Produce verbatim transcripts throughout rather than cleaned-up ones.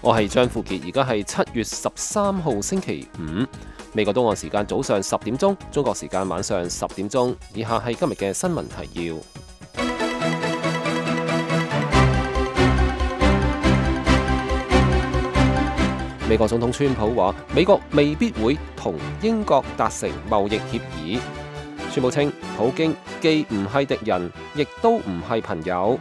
我係張富傑，而家係七月十三號星期五，美國東岸時間早上十點鐘，中國時間晚上十點鐘。以下係今日嘅新聞提要。美國總統川普話，美國未必會同英國達成貿易協議。川普稱，普京既唔係敵人，亦都唔係朋友。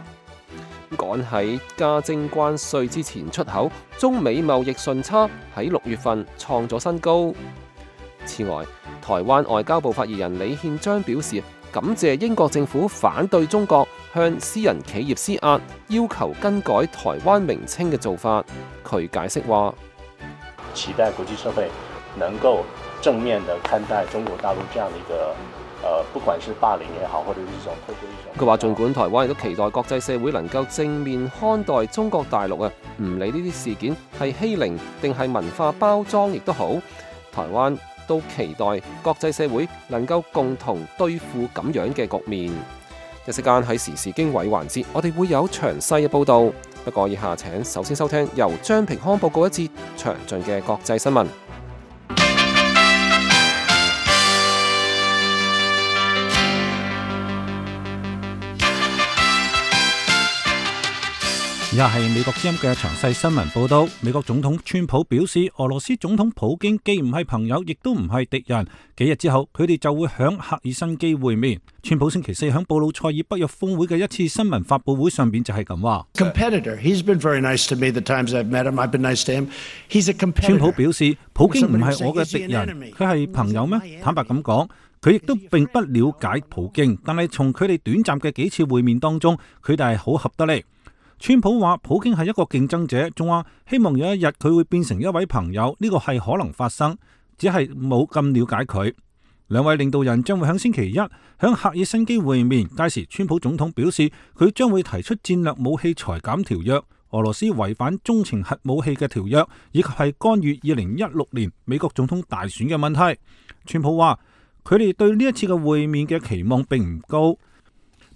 趕喺加徵關稅之前出口，中美貿易順差喺六月份創咗新高。此外，台灣外交部發言人李憲章表示，感謝英國政府反對中國向私人企業施壓，要求更改台灣名稱嘅做法。佢解釋話，期待國際社會能夠正面地看待中國大陸這樣的一個，呃，不管是霸凌也好，或者是一種透過一種。佢話，儘管台灣亦都期待國際社會能夠正面看待中國大陸啊，唔理呢啲事件係欺凌定係文化包裝，亦都好，台灣都期待國際社會能夠共同對付咁樣嘅局面。一時間喺時事經緯環節，我哋會有詳細嘅報導。不過以下請首先收聽由張平康報告一節詳盡嘅國際新聞。以下係美國之音嘅詳細新聞報道。美國總統川普表示，俄羅斯總統普京既唔係朋友，亦都唔係敵人。幾日之後，佢哋就會響赫爾辛基會面。川普星期四響布魯塞爾北約峰會嘅一次新聞發佈會上邊就係咁話。川普表示，普京唔係我嘅敵人，佢係朋友咩？坦白咁講，佢亦都並不了解普京，但係從佢哋短暫嘅幾次會面當中，佢哋係好合得嚟。川普話普京係一個競爭者，仲話希望有一日佢會變成一位朋友，呢個係可能發生，只係冇咁了解佢。兩位領導人將會喺星期一喺赫爾辛基會面，屆時川普總統表示佢將會提出戰略武器裁減條約、俄羅斯違反中程核武器嘅條約，以及係干預二零一六年美國總統大選嘅問題。川普話佢哋對呢一次嘅會面嘅期望並唔高。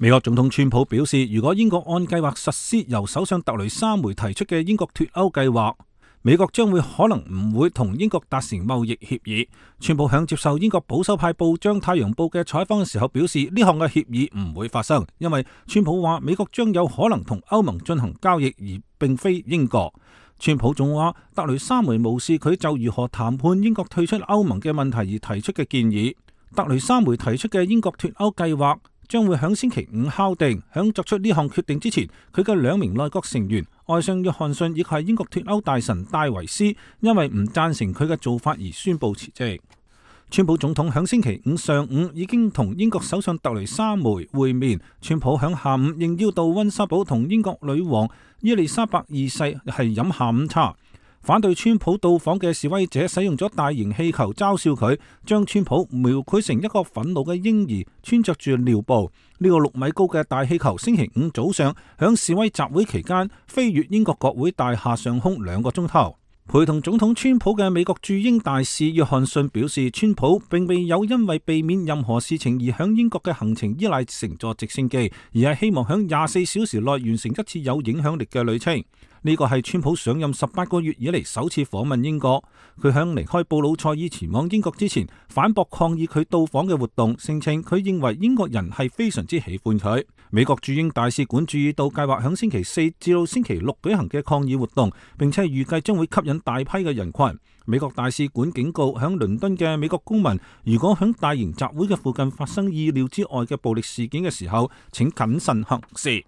美國總統川普表示，如果英國按計劃實施由首相特雷莎梅提出嘅英國脫歐計劃，美國將會可能唔會同英國達成貿易協議。川普響接受英國保守派報章《太陽報》嘅採訪嘅時候表示，呢項嘅協議唔會發生，因為川普話美國將有可能同歐盟進行交易，而並非英國。川普仲話特雷莎梅無視佢就如何談判英國退出歐盟嘅問題而提出嘅建議。特雷莎梅提出嘅英國脫歐計劃將會喺星期五敲定。響作出呢項決定之前，佢嘅兩名內閣成員外相約翰遜以及係英國脫歐大臣戴維斯，因為唔贊成佢嘅做法而宣布辭職。川普總統響星期五上午已經同英國首相特雷莎梅會面。川普響下午應邀到溫莎堡同英國女王伊麗莎白二世係飲下午茶。反對川普到訪嘅示威者使用咗大型氣球嘲笑佢，將川普描繪成一個憤怒嘅嬰兒穿着住尿布。呢個六米高嘅大氣球星期五早上響示威集會期間飛越英國國會大廈上空兩個鐘頭。陪同總統川普嘅美國駐英大使約翰遜表示，川普並未有因為避免任何事情而響英國嘅行程依賴乘坐直升機，而係希望響廿四小時內完成一次有影響力嘅旅程。呢個係川普上任十八個月以嚟首次訪問英國。佢響離開布魯塞爾前往英國之前，反駁抗議佢到訪嘅活動，聲稱佢認為英國人係非常之喜歡佢。美國駐英大使館注意到計劃響星期四至到星期六舉行嘅抗議活動，並且預計將會吸引大批嘅人群。美國大使館警告響倫敦嘅美國公民，如果響大型集會嘅附近發生意料之外嘅暴力事件嘅時候，請謹慎行事。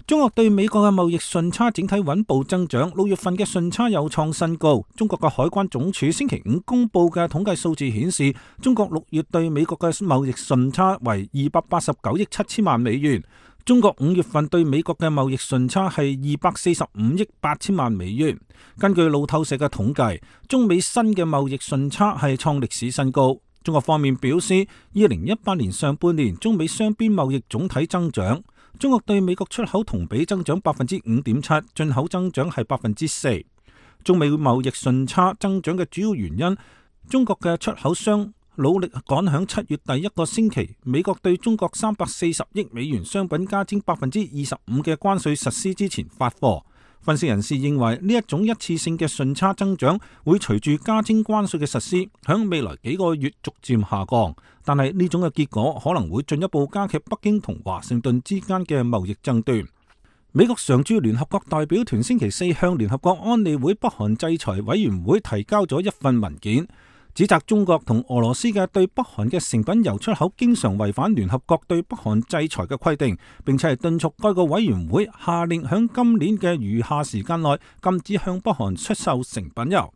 中國對美國嘅貿易順差整體穩步增長，六月份嘅順差又創新高。中國嘅海關總署星期五公布嘅統計數字顯示，中國六月對美國嘅貿易順差為二百八十九億七千萬美元。中國五月份對美國嘅貿易順差係二百四十五億八千萬美元。根據路透社嘅統計，中美新嘅貿易順差係創歷史新高。中國方面表示，二零一八年上半年中美雙邊貿易總體增長，中國對美國出口同比增長百分之五點七，進口增長係百分之四。中美貿易順差增長嘅主要原因，中國嘅出口商努力趕響七月第一個星期，美國對中國三百四十億美元商品加徵百分之二十五嘅關稅實施之前發貨。分析人士認為呢一種一次性嘅順差增長會隨住加徵關稅嘅實施，響未來幾個月逐漸下降。但係呢種嘅結果可能會進一步加劇北京同華盛頓之間嘅貿易爭端。美國常駐聯合國代表團星期四向聯合國安理會北韓制裁委員會提交咗一份文件，指責中國同俄羅斯嘅對北韓嘅成品油出口經常違反聯合國對北韓制裁嘅規定，並且係敦促該個委員會下令響今年嘅餘下時間內禁止向北韓出售成品油。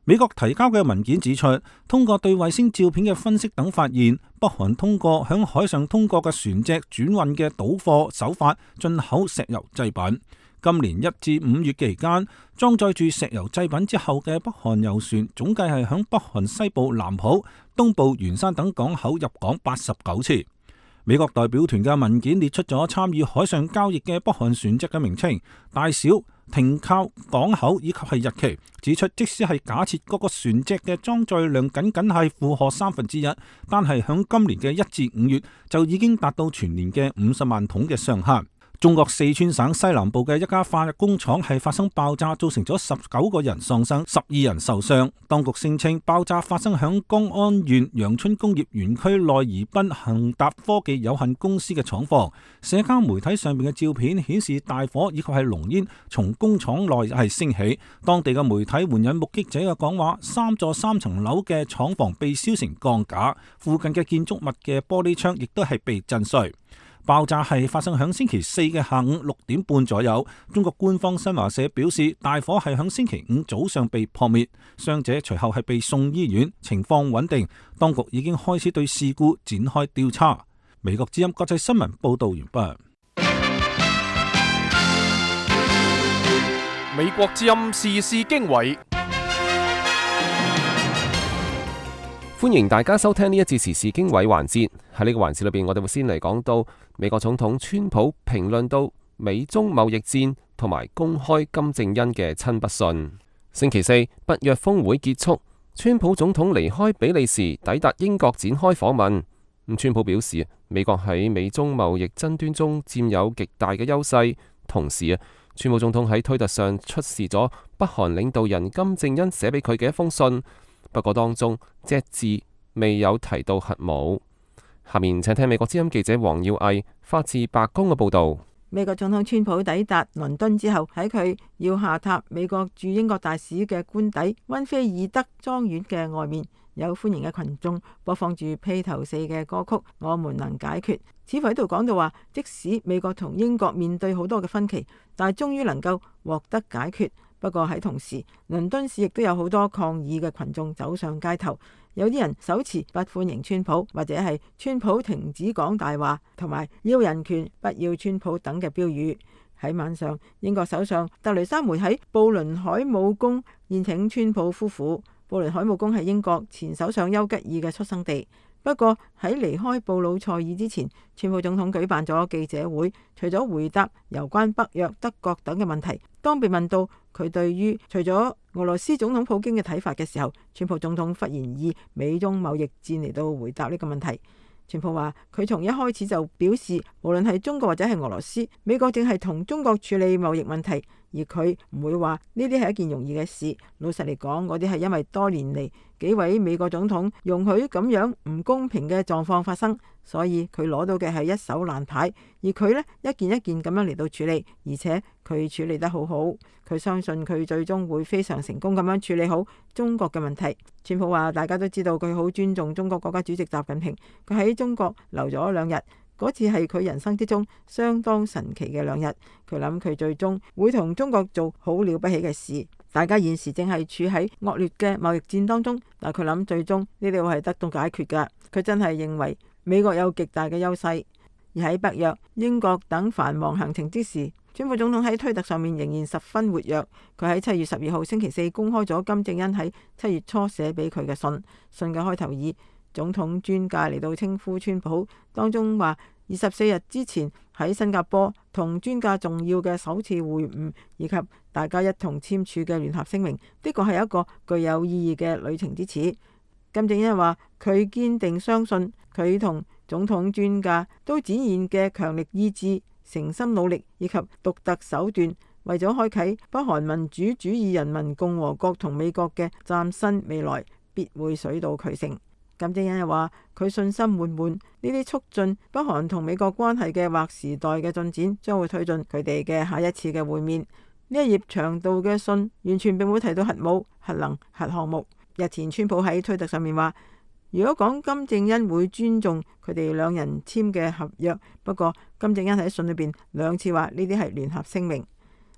美國提交嘅文件指出，通過對衛星照片嘅分析等發現，北韓通過響海上通過嘅船隻轉運嘅倒貨手法進口石油製品。今年一至五月期間，裝載住石油製品之後嘅北韓油船總計係響北韓西部南浦、東部元山等港口入港八十九次。美國代表團嘅文件列出咗參與海上交易嘅北韓船隻嘅名稱、大小、停靠港口以及係日期，指出即使係假設嗰個船隻嘅裝載量僅僅係負荷三分之一，但係響今年嘅一至五月就已經達到全年嘅五十萬桶嘅上限。中國四川省西南部嘅一家化工廠係發生爆炸，造成咗十九個人喪生，十二人受傷。當局聲稱爆炸發生響江安縣陽春工業園區內宜賓恒達科技有限公司嘅廠房。社交媒體上面嘅照片顯示大火以及係濃煙從工廠內係升起。當地嘅媒體援引目擊者嘅講話，三座三層樓嘅廠房被燒成鋼架，附近嘅建築物嘅玻璃窗亦都係被震碎。爆炸係發生響星期四嘅下午六點半左右。中國官方新華社表示，大火係響星期五早上被撲滅，傷者隨後係被送醫院，情況穩定。當局已經開始對事故展開調查。美國之音國際新聞報道完畢。美國之音時事經緯。歡迎大家收聽呢一節時事經緯環節。喺呢個環節裏邊，我哋會先嚟講到美國總統川普評論到美中貿易戰同埋公開金正恩嘅親筆信。星期四北約峰會結束，川普總統離開比利時，抵達英國展開訪問。咁川普表示，美國喺美中貿易爭端中佔有極大嘅優勢。同時啊，川普總統喺推特上出示咗北韓領導人金正恩寫俾佢嘅一封信。不過當中隻字未有提到核武。下面請聽美國之音記者黃耀毅發自白宮嘅報道。美國總統川普抵達倫敦之後，喺佢要下榻美國駐英國大使嘅官邸溫菲爾德莊園嘅外面，有歡迎嘅群眾播放住披頭四嘅歌曲《我們能解決》，似乎喺度講到話，即使美國同英國面對好多嘅分歧，但係終於能夠獲得解決。不過喺同時，倫敦市亦都有好多抗議嘅群眾走上街頭，有啲人手持不歡迎川普，或者係川普停止講大話，同埋要人權不要川普等嘅標語。喺晚上，英國首相特雷莎梅喺布倫海姆宮宴請川普夫婦。布倫海姆宮係英國前首相丘吉爾嘅出生地。不過喺離開布魯塞爾之前，川普總統舉辦咗記者會，除咗回答有關北約、德國等嘅問題，當被問到佢對於除咗俄羅斯總統普京嘅睇法嘅時候，川普總統忽然以美中貿易戰嚟到回答呢個問題。川普話佢從一開始就表示，無論係中國或者係俄羅斯，美國正係同中國處理貿易問題，而佢唔會話呢啲係一件容易嘅事。老實嚟講，嗰啲係因為多年嚟幾位美國總統容許咁樣唔公平嘅狀況發生，所以佢攞到嘅係一手爛牌，而佢呢，一件一件咁樣嚟到處理，而且佢處理得好好。佢相信佢最終會非常成功咁樣處理好中國嘅問題。川普話大家都知道佢好尊重中國國家主席習近平，佢喺中國留咗兩日，嗰次係佢人生之中相當神奇嘅兩日。佢諗佢最終會同中國做好了不起嘅事。大家現時正係處喺惡劣嘅貿易戰當中，但佢諗最終呢啲會係得到解決㗎。佢真係認為美國有極大嘅優勢。而喺北約、英國等繁忙行程之時，川普總統喺推特上面仍然十分活躍。佢喺七月十二號星期四公開咗金正恩喺七月初寫俾佢嘅信，信嘅開頭以總統尊駕嚟到稱呼川普，當中話二十四日之前喺新加坡同尊駕重要嘅首次會晤，以及大家一同簽署嘅聯合聲明，的確係一個具有意義嘅旅程之始。金正恩話佢堅定相信佢同總統尊駕都展現嘅強力意志、誠心努力以及獨特手段，為咗開啟北韓民主主義人民共和國同美國嘅嶄新未來，必會水到渠成。金正恩又話佢信心滿滿，呢啲促進北韓同美國關係嘅劃時代嘅進展，將會推進佢哋嘅下一次嘅會面。呢一頁長度嘅信完全並冇提到核武、核能、核項目。日前川普喺推特上面話，如果講金正恩會尊重佢哋兩人簽嘅合約，不過金正恩喺信裏邊兩次話呢啲係聯合聲明。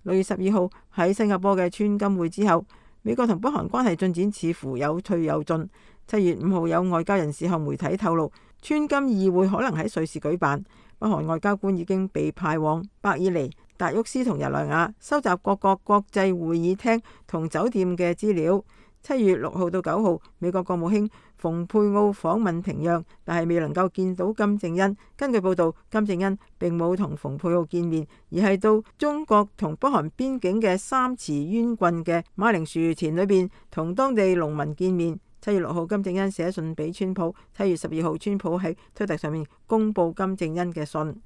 六月十二號喺新加坡嘅川金會之後，美國同北韓關係進展似乎有退有進。七月五號有外交人士向媒體透露，川金議會可能喺瑞士舉辦，北韓外交官已經被派往伯爾尼、達沃斯同日內瓦收集各國國際會議廳同酒店嘅資料。七月六號到九號，美國國務卿蓬佩奧訪問平壤，但係未能夠見到金正恩。根據報道，金正恩並冇同蓬佩奧見面，而係到中國同北韓邊境嘅三池淵郡嘅馬鈴薯田裏邊同當地農民見面。七月六號，金正恩寫信俾川普。七月十二號，川普喺推特上面公布金正恩嘅信。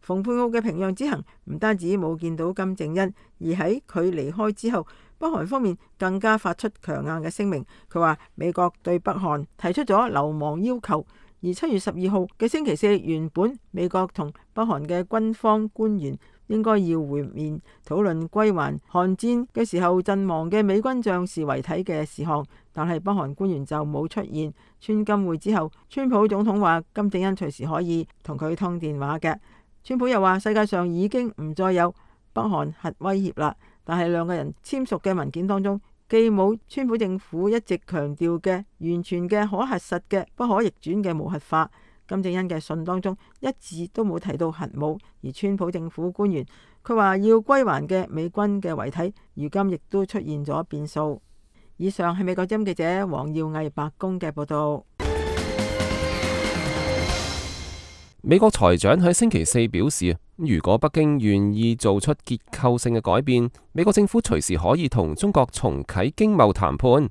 蓬佩奧嘅平壤之行唔單止冇見到金正恩，而喺佢離開之後，北韓方面更加發出強硬嘅聲明。佢話美國對北韓提出咗流亡要求。而七月十二號嘅星期四，原本美國同北韓嘅軍方官員應該要會面，討論歸還韓戰嘅時候陣亡嘅美軍將士遺體嘅事項，但係北韓官員就冇出現。川金會之後，川普總統話金正恩隨時可以同佢通電話嘅。川普又話世界上已經唔再有北韓核威脅啦，但係兩個人簽署嘅文件當中，既冇川普政府一直強調嘅完全嘅可核實嘅不可逆轉嘅無核化。金正恩嘅信當中一字都冇提到核武，而川普政府官員佢話要歸還嘅美軍嘅遺體，如今亦都出現咗變數。以上係美國之音記者黃耀毅白宮嘅報道。美國財長喺星期四表示，如果北京願意做出結構性嘅改變，美國政府隨時可以同中國重啟經貿談判。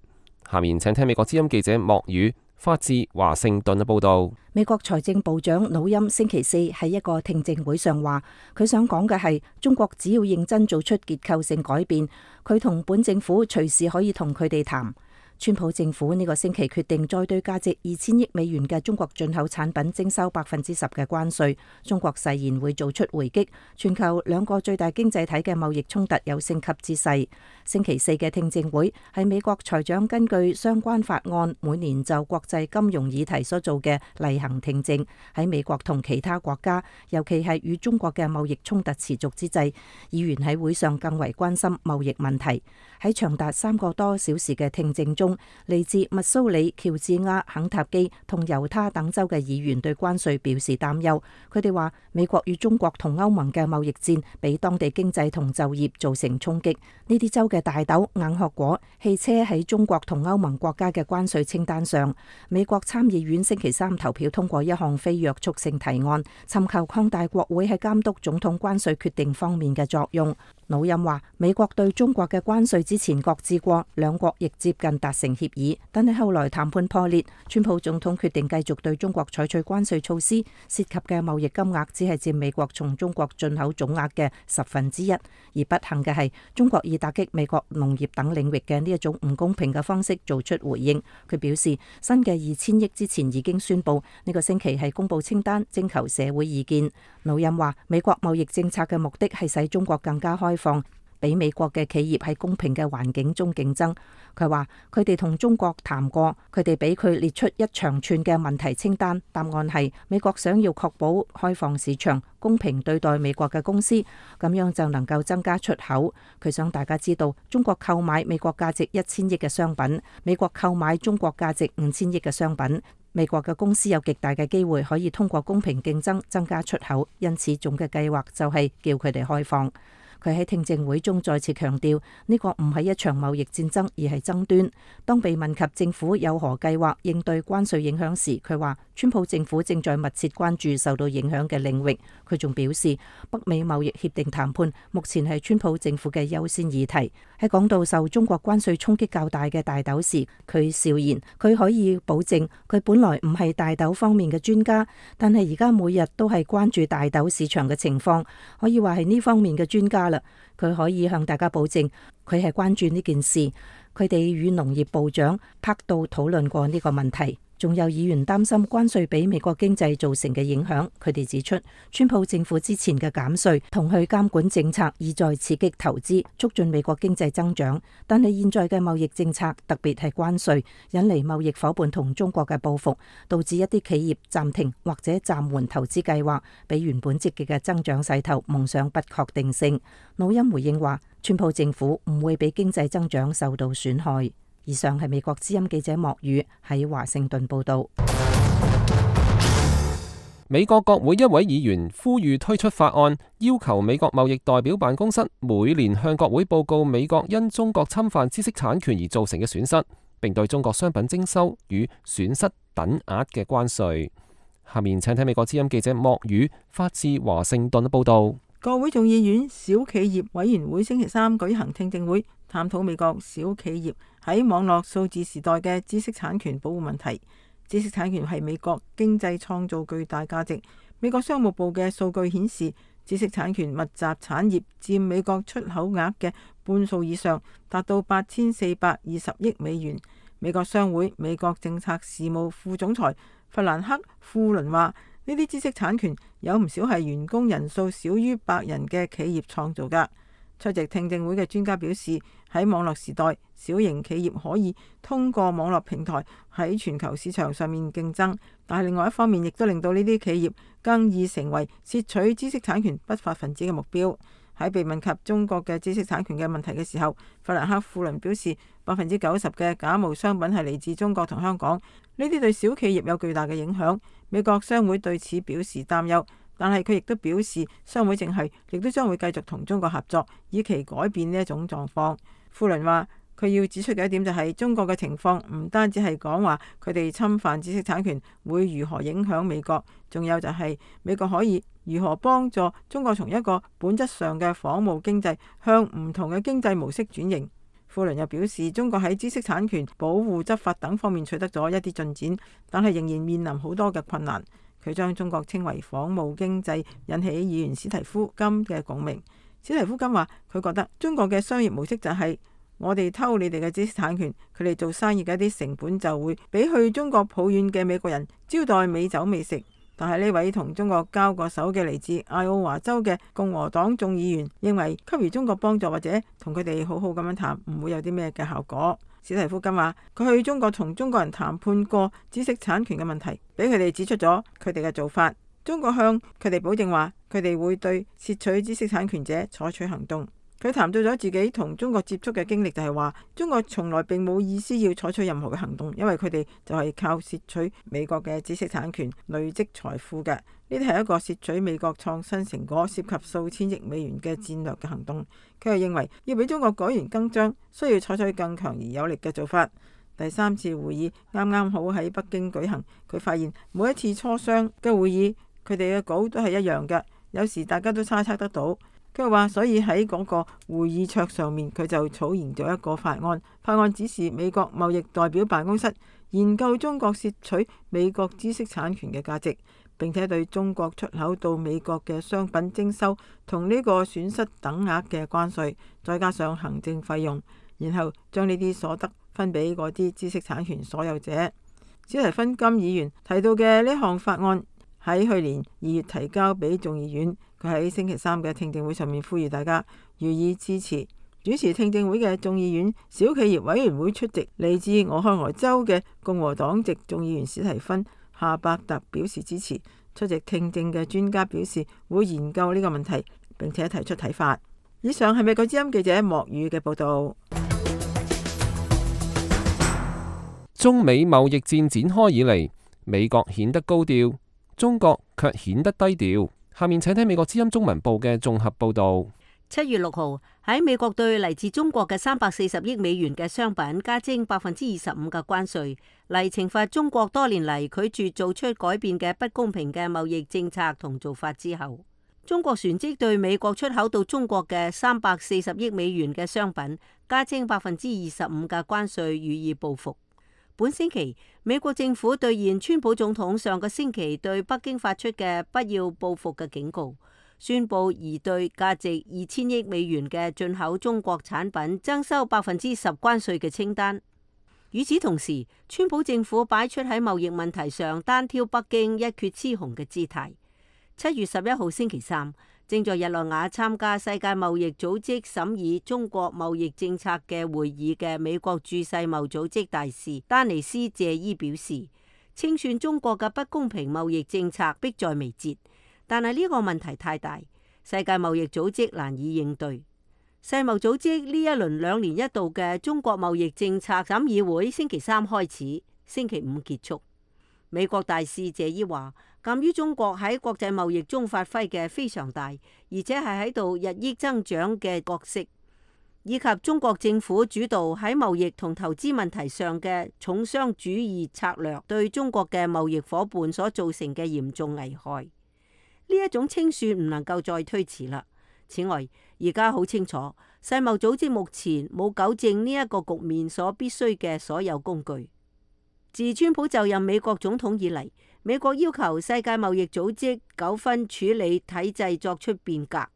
下面請聽美國之音記者莫宇發自華盛頓嘅報道。美國財政部長努欽星期四喺一個聽證會上話，佢想講嘅係中國只要認真做出結構性改變，佢同本政府隨時可以同佢哋談。川普政府呢個星期決定再對價值二千億美元嘅中國進口產品徵收百分之十嘅關稅，中國誓言會做出回擊。全球兩個最大經濟體嘅貿易衝突有升級之勢。星期四嘅聽證會係美國財長根據相關法案每年就國際金融議題所做嘅例行聽證。喺美國同其他國家，尤其係與中國嘅貿易衝突持續之際，議員喺會上更為關心貿易問題。喺長達三個多小時嘅聽證中，嚟自密蘇里、喬治亞、肯塔基同猶他等州嘅議員對關稅表示擔憂。佢哋話美國與中國同歐盟嘅貿易戰俾當地經濟同就業造成衝擊。呢啲州嘅大豆、硬殼果、汽車喺中國同歐盟國家嘅關稅清單上。美國參議院星期三投票通過一項非約束性提案，尋求擴大國會喺監督總統關稅決定方面嘅作用。努欽話美國對中國嘅關稅之前擱置過，兩國亦接近達成協議，但係後來談判破裂，川普總統決定繼續對中國採取關稅措施，涉及嘅貿易金額只係佔美國從中國進口總額嘅十分之一。而不幸嘅係，中國以打擊美國農業等領域嘅呢一種唔公平嘅方式做出回應。佢表示，新嘅二千億之前已經宣布，呢個星期係公布清單，徵求社會意見。努欽話，美國貿易政策嘅目的係使中國更加開放，俾美國嘅企業喺公平嘅環境中競爭。佢話佢哋同中國談過，佢哋俾佢列出一長串嘅問題清單，答案係美國想要確保開放市場，公平對待美國嘅公司，咁樣就能夠增加出口。佢想大家知道，中國購買美國價值一千億嘅商品，美國購買中國價值五千億嘅商品，美國嘅公司有極大嘅機會可以通過公平競爭增加出口，因此總嘅計劃就係叫佢哋開放。佢喺聽證會中再次強調，呢個唔係一場貿易戰爭，而係爭端。當被問及政府有何計劃應對關稅影響時，佢話川普政府正在密切關注受到影響嘅領域。佢仲表示，北美貿易協定談判目前係川普政府嘅優先議題。喺講到受中國關稅衝擊較大嘅大豆時，佢笑言佢可以保證佢本來唔係大豆方面嘅專家，但係而家每日都係關注大豆市場嘅情況，可以話係呢方面嘅專家。加啦。佢可以向大家保證，佢係關注呢件事。佢哋與農業部長柏杜討論過呢個問題。仲有議員擔心關稅俾美國經濟造成嘅影響。佢哋指出，川普政府之前嘅減稅同去監管政策意在刺激投資，促進美國經濟增長。但係現在嘅貿易政策，特別係關稅，引嚟貿易夥伴同中國嘅報復，導致一啲企業暫停或者暫緩投資計劃，俾原本積極嘅增長勢頭蒙上不確定性。努欽回應話，川普政府唔會俾經濟增長受到損害。以上係美國之音記者莫宇喺華盛頓報道。美國國會一位議員呼籲推出法案，要求美國貿易代表辦公室每年向國會報告美國因中國侵犯知識產權而造成嘅損失，並對中國商品徵收與損失等額嘅關稅。下面請睇美國之音記者莫宇發自華盛頓嘅報道。國會眾議院小企業委員會星期三舉行聽證會，探討美國小企業喺網絡數字時代嘅知識產權保護問題。知識產權係美國經濟創造巨大價值。美國商務部嘅數據顯示，知識產權密集產業佔美國出口額嘅半數以上，達到八千四百二十億美元。美國商會美國政策事務副總裁弗蘭克·富倫話：呢啲知識產權有唔少係員工人數少於百人嘅企業創造㗎。出席聽證會嘅專家表示，喺網絡時代，小型企業可以通過網絡平台喺全球市場上面競爭，但係另外一方面亦都令到呢啲企業更易成為竊取知識產權不法分子嘅目標。喺被問及中國嘅知識產權嘅問題嘅時候，弗蘭克·富倫表示，百分之九十嘅假冒商品係嚟自中國同香港，呢啲對小企業有巨大嘅影響。美國商會對此表示擔憂，但係佢亦都表示，商會正係亦都將會繼續同中國合作，以期改變呢一種狀況。富倫話，佢要指出嘅一點就係，中國嘅情況唔單止係講話佢哋侵犯知識產權會如何影響美國，仲有就係美國可以如何幫助中國從一個本質上嘅仿冒經濟向唔同嘅經濟模式轉型。富倫又表示，中國喺知識產權保護執法等方面取得咗一啲進展，但係仍然面臨好多嘅困難。佢將中國稱為仿冒經濟，引起議員史提夫金嘅共鳴。史提夫金話，佢覺得中國嘅商業模式就係我哋偷你哋嘅知識產權，佢哋做生意嘅一啲成本就會比去中國抱怨嘅美國人招待美酒美食。但係呢位同中國交過手嘅嚟自艾奧華州嘅共和黨眾議員認為，給予中國幫助或者同佢哋好好咁樣談，唔會有啲咩嘅效果。史提夫金話，佢去中國同中國人談判過知識產權嘅問題，俾佢哋指出咗佢哋嘅做法。中國向佢哋保證話，佢哋會對竊取知識產權者採取行動。佢談到咗自己同中國接觸嘅經歷，就係話中國從來並冇意思要採取任何嘅行動，因為佢哋就係靠竊取美國嘅知識產權累積財富嘅。呢啲係一個竊取美國創新成果涉及數千億美元嘅戰略嘅行動。佢又認為要俾中國改弦更張，需要採取更強而有力嘅做法。第三次會議啱啱好喺北京舉行，佢發現每一次磋商嘅會議，佢哋嘅稿都係一樣嘅，有時大家都猜測得到。佢話，所以喺嗰個會議桌上面，佢就草擬咗一個法案。法案指示美國貿易代表辦公室研究中國竊取美國知識產權嘅價值，並且對中國出口到美國嘅商品徵收同呢個損失等額嘅關稅，再加上行政費用，然後將呢啲所得分俾嗰啲知識產權所有者。史提芬金議員提到嘅呢項法案喺去年二月提交俾眾議院。佢喺星期三嘅聽證會上面呼籲大家予以支持。主持聽證會嘅眾議院小企業委員會出席嚟自俄亥俄州嘅共和黨籍眾議員史提芬夏伯特表示支持。出席聽證嘅專家表示會研究呢個問題，並且提出睇法。以上係美國之音記者莫宇嘅報道。中美貿易戰展開以嚟，美國顯得高調，中國卻顯得低調。下面請睇美國之音中文部嘅綜合報道。七月六號喺美國對嚟自中國嘅三百四十億美元嘅商品加徵百分之二十五嘅關稅，嚟懲罰中國多年嚟拒絕做出改變嘅不公平嘅貿易政策同做法之後，中國旋即對美國出口到中國嘅三百四十億美元嘅商品加徵百分之二十五嘅關稅予以報復。本星期，美國政府兌現川普總統上個星期對北京發出嘅不要報復嘅警告。宣布擬對價值二千億美元嘅進口中國產品徵收百分之十關稅嘅清單。與此同時，川普政府擺出喺貿易問題上單挑北京一決雌雄嘅姿態。七月十一號星期三，正在日內瓦參加世界貿易組織審議中國貿易政策嘅會議嘅美國駐世貿組織大使丹尼斯謝伊表示，清算中國嘅不公平貿易政策迫在眉睫，但係呢個問題太大，世界貿易組織難以應對。世貿組織呢一輪兩年一度嘅中國貿易政策審議會星期三開始，星期五結束。美國大使謝伊話，鑒於中國喺國際貿易中發揮嘅非常大，而且係喺度日益增長嘅角色，以及中國政府主導喺貿易同投資問題上嘅重商主義策略對中國嘅貿易夥伴所造成嘅嚴重危害，呢一種清算唔能夠再推遲啦。此外，而家好清楚，世貿組織目前冇糾正呢一個局面所必須嘅所有工具。自川普就任美國總統以嚟，美國要求世界貿易組織糾紛處理體制作出變革，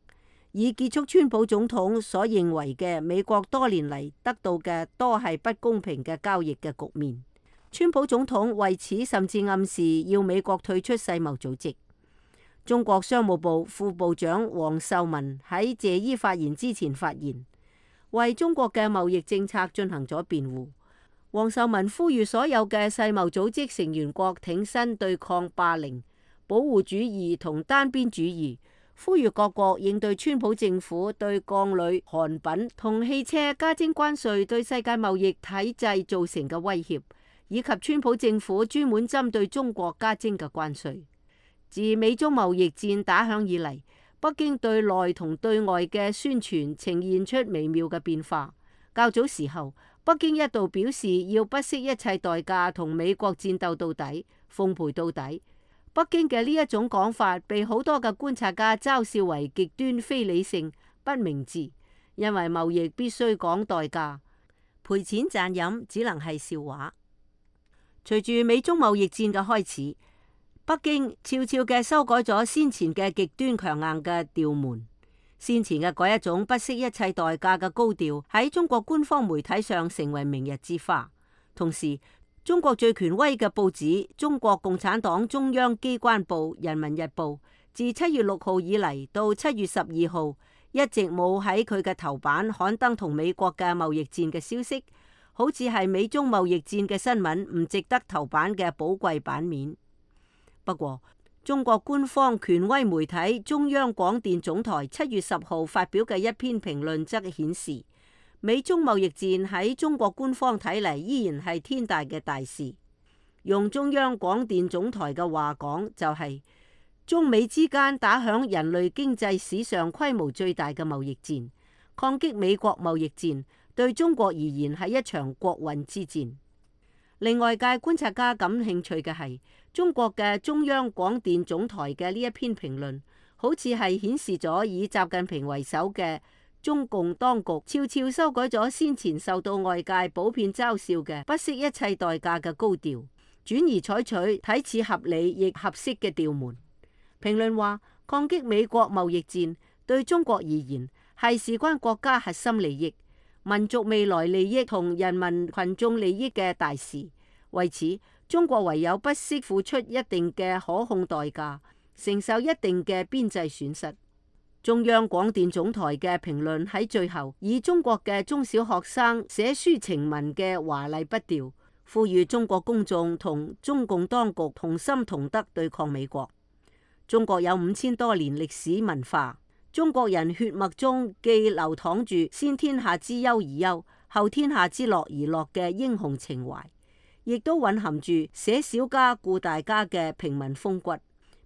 以結束川普總統所認為嘅美國多年嚟得到嘅多係不公平嘅交易嘅局面。川普總統為此甚至暗示要美國退出世貿組織。中國商務部副部長王受文喺謝伊發言之前發言，為中國嘅貿易政策進行咗辯護。王受文呼籲所有嘅世貿組織成員國挺身對抗霸凌、保護主義同單邊主義，呼籲各國應對川普政府對鋼鋁、韓品同汽車加徵關稅對世界貿易體制造成嘅威脅，以及川普政府專門針對中國加徵嘅關稅。自美中貿易戰打響以嚟，北京對內同對外嘅宣傳呈現出微妙嘅變化。較早時候，北京一度表示要不惜一切代價同美國戰鬥到底、奉陪到底。北京嘅呢一種講法被好多嘅觀察家嘲笑為極端非理性、不明智，因為貿易必須講代價，賠錢賺飲只能係笑話。隨住美中貿易戰嘅開始，北京悄悄嘅修改咗先前嘅極端強硬嘅調門。先前嘅嗰一種不惜一切代價嘅高調喺中國官方媒體上成為明日之花。同時，中國最權威嘅報紙中國共產黨中央機關報《人民日報》自七月六號以嚟到七月十二號一直冇喺佢嘅頭版刊登同美國嘅貿易戰嘅消息，好似係美中貿易戰嘅新聞唔值得頭版嘅寶貴版面。不過，中國官方權威媒體中央廣電總台七月十號發表嘅一篇評論則顯示，美中貿易戰喺中國官方睇嚟依然係天大嘅大事。用中央廣電總台嘅話講，就係、是、中美之間打響人類經濟史上規模最大嘅貿易戰，抗擊美國貿易戰對中國而言係一場國運之戰。令外界觀察家感興趣嘅係，中國嘅中央廣電總台嘅呢一篇評論，好似係顯示咗以習近平為首嘅中共當局悄悄修改咗先前受到外界普遍嘲笑嘅不惜一切代價嘅高調，轉而採取睇似合理亦合適嘅調門。評論話，抗擊美國貿易戰對中國而言係事關國家核心利益、民族未來利益同人民群眾利益嘅大事，為此中國唯有不惜付出一定嘅可控代價，承受一定嘅邊際損失。中央廣電總台嘅評論喺最後以中國嘅中小學生寫書情文嘅華麗筆調，呼籲中國公眾同中共當局同心同德對抗美國。中國有五千多年歷史文化，中國人血脈中既流淌住先天下之憂而憂，後天下之樂而樂嘅英雄情懷，亦都蘊含住捨小家顧大家嘅平民風骨。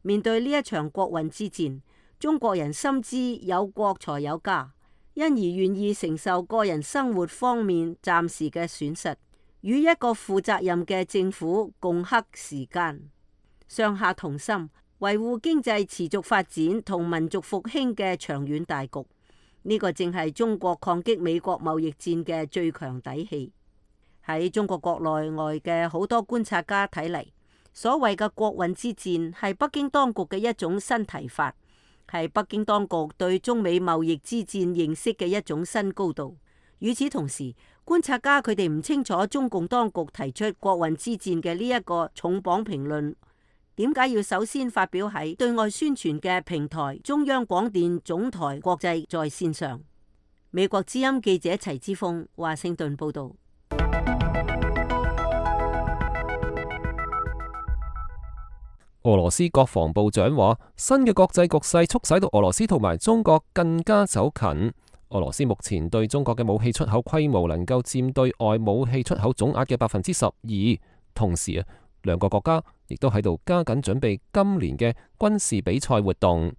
面對呢一場國運之戰，中國人深知有國才有家，因而願意承受個人生活方面暫時嘅損失，與一個負責任嘅政府共克時艱，上下同心，維護經濟持續發展同民族復興嘅長遠大局。呢、這個正係中國抗擊美國貿易戰嘅最強底氣。喺中國國內外嘅好多觀察家睇嚟，所謂嘅國運之戰係北京當局嘅一種新提法，係北京當局對中美貿易之戰認識嘅一種新高度。與此同時，觀察家佢哋唔清楚中共當局提出國運之戰嘅呢一個重磅評論，點解要首先發表喺對外宣傳嘅平台中央廣電總台國際在線上？美國之音記者齊之鋒華盛頓報道。俄羅斯國防部長話，新嘅國際局勢促使到俄羅斯同埋中國更加走近。俄羅斯目前對中國嘅武器出口規模能夠佔對外武器出口總額嘅百分之十二。同時啊，兩個國家亦都喺度加緊準備今年嘅軍事比賽活動。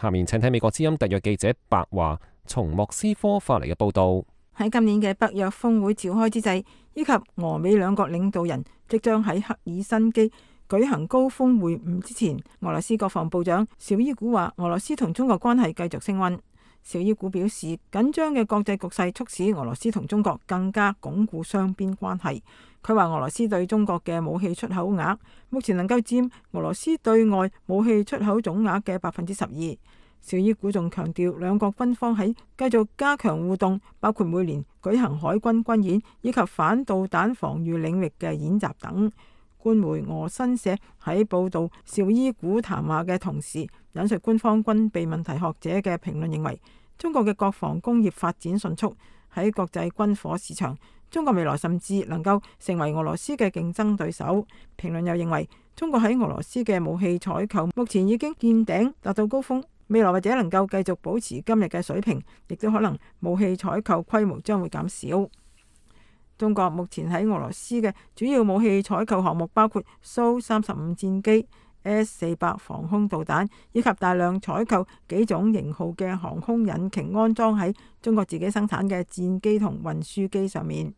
下面請睇美國之音特約記者白華從莫斯科發嚟嘅報道。喺今年嘅北約峰會召開之際，以及俄美兩國領導人即將喺赫爾辛基舉行高峰會晤之前，俄羅斯國防部長紹伊古話，俄羅斯同中國關係繼續升溫。紹伊古表示，緊張嘅國際局勢促使俄羅斯同中國更加鞏固雙邊關係。佢話俄羅斯對中國嘅武器出口額目前能夠佔俄羅斯對外武器出口總額嘅百分之十二。紹伊古仲強調，兩國軍方喺繼續加強互動，包括每年舉行海軍軍演以及反導彈防禦領域嘅演習等。官媒俄新社喺報導紹伊古談話嘅同時，引述官方軍備問題學者嘅評論，認為中國嘅國防工業發展迅速，喺國際軍火市場，中國未來甚至能夠成為俄羅斯嘅競爭對手。評論又認為，中國喺俄羅斯嘅武器採購目前已經見頂，達到高峰，未來或者能夠繼續保持今日嘅水平，亦都可能武器採購規模將會減少。中國目前喺俄羅斯嘅主要武器採購項目包括蘇三十五戰機、S 四百防空導彈，以及大量採購幾種型號嘅航空引擎安裝喺中國自己生產嘅戰機同運輸機上面。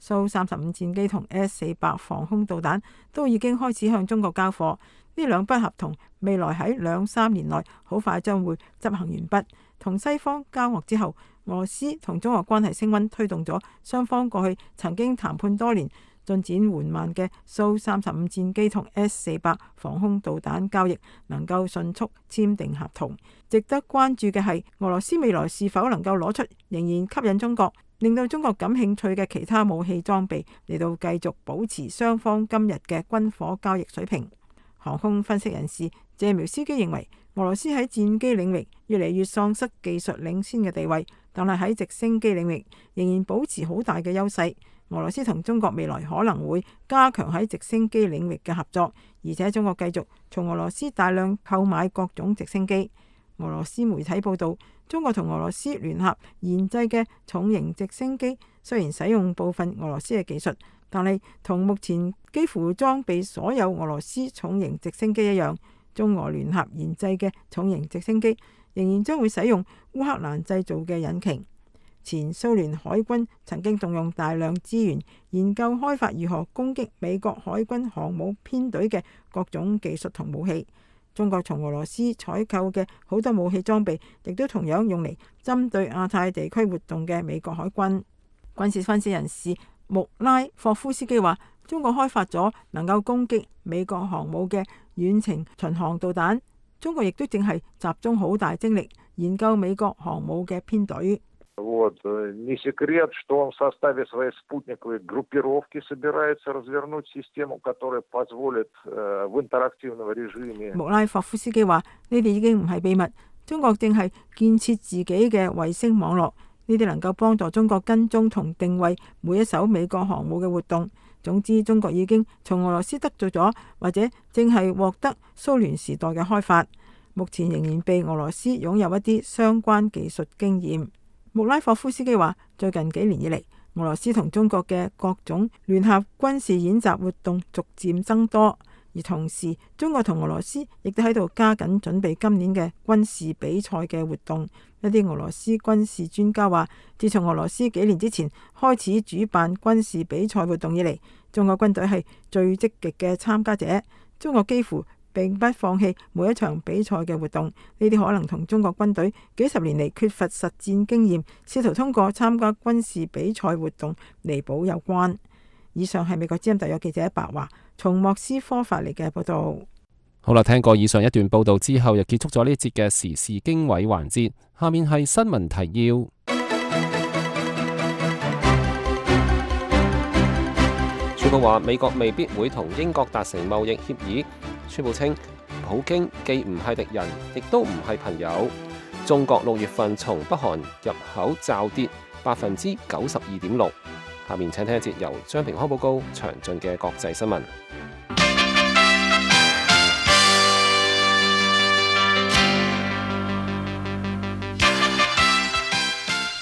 蘇三十五戰機同 S 四百防空導彈都已經開始向中國交貨，呢兩筆合同未來喺兩三年內好快將會執行完畢。同西方交惡之後，俄羅斯同中國關係升溫，推動咗雙方過去曾經談判多年、進展緩慢嘅蘇三十五戰機同 S 四百防空導彈交易能夠迅速簽訂合同。值得關注嘅係，俄羅斯未來是否能夠攞出仍然吸引中國、令到中國感興趣嘅其他武器裝備，嚟到繼續保持雙方今日嘅軍火交易水平。航空分析人士謝苗斯基認為，俄羅斯喺戰機領域越嚟越喪失技術領先嘅地位，但係喺直升機領域仍然保持好大嘅優勢。俄羅斯同中國未來可能會加強喺直升機領域嘅合作，而且中國繼續從俄羅斯大量購買各種直升機。俄羅斯媒體報道，中國同俄羅斯聯合研製嘅重型直升機雖然使用部分俄羅斯嘅技術，但係同目前幾乎裝備所有俄羅斯重型直升機一樣，中俄聯合研製嘅重型直升機仍然將會使用烏克蘭製造嘅引擎。前蘇聯海軍曾經動用大量資源研究開發如何攻擊美國海軍航母編隊嘅各種技術同武器。中國從俄羅斯採購嘅好多武器裝備，亦都同樣用嚟針對亞太地區活動嘅美國海軍。軍事分析人士穆拉霍夫斯基話，中國開發咗能夠攻擊美國航母嘅遠程巡航導彈，中國亦都正係集中好大精力研究美國航母嘅編隊。穆拉霍夫斯基話：呢啲已經唔係秘密，中國正係建設自己嘅衛星網絡，呢啲能夠幫助中國跟蹤同定位每一艘美國航母嘅活動。總之，中國已經從俄羅斯得罪咗，或者正係獲得蘇聯時代嘅開發，目前仍然被俄羅斯擁有一啲相關技術經驗。穆拉霍夫斯基話：最近幾年以嚟，俄羅斯同中國嘅各種聯合軍事演習活動逐漸增多，而同時中國同俄羅斯亦都喺度加緊準備今年嘅軍事比賽嘅活動。一啲俄羅斯軍事專家話，自從俄羅斯幾年之前開始主辦軍事比賽活動以嚟，中國軍隊係最積極嘅參加者。中國幾乎並不放棄每一場比賽嘅活動，呢啲可能同中國軍隊幾十年嚟缺乏實戰經驗，試圖通過參加軍事比賽活動彌補有關。以上係美國之音特約記者白華從莫斯科發嚟嘅報道。好啦，聽過以上一段報道之後，又結束咗呢節嘅時事經緯環節。下面係新聞提要。川普話美國未必會同英國達成貿易協議。川普稱普京既唔係敵人，亦都唔係朋友。中國六月份從北韓入口驟跌百分之九十二點六。下面請聽一節由張平康報告詳盡嘅國際新聞。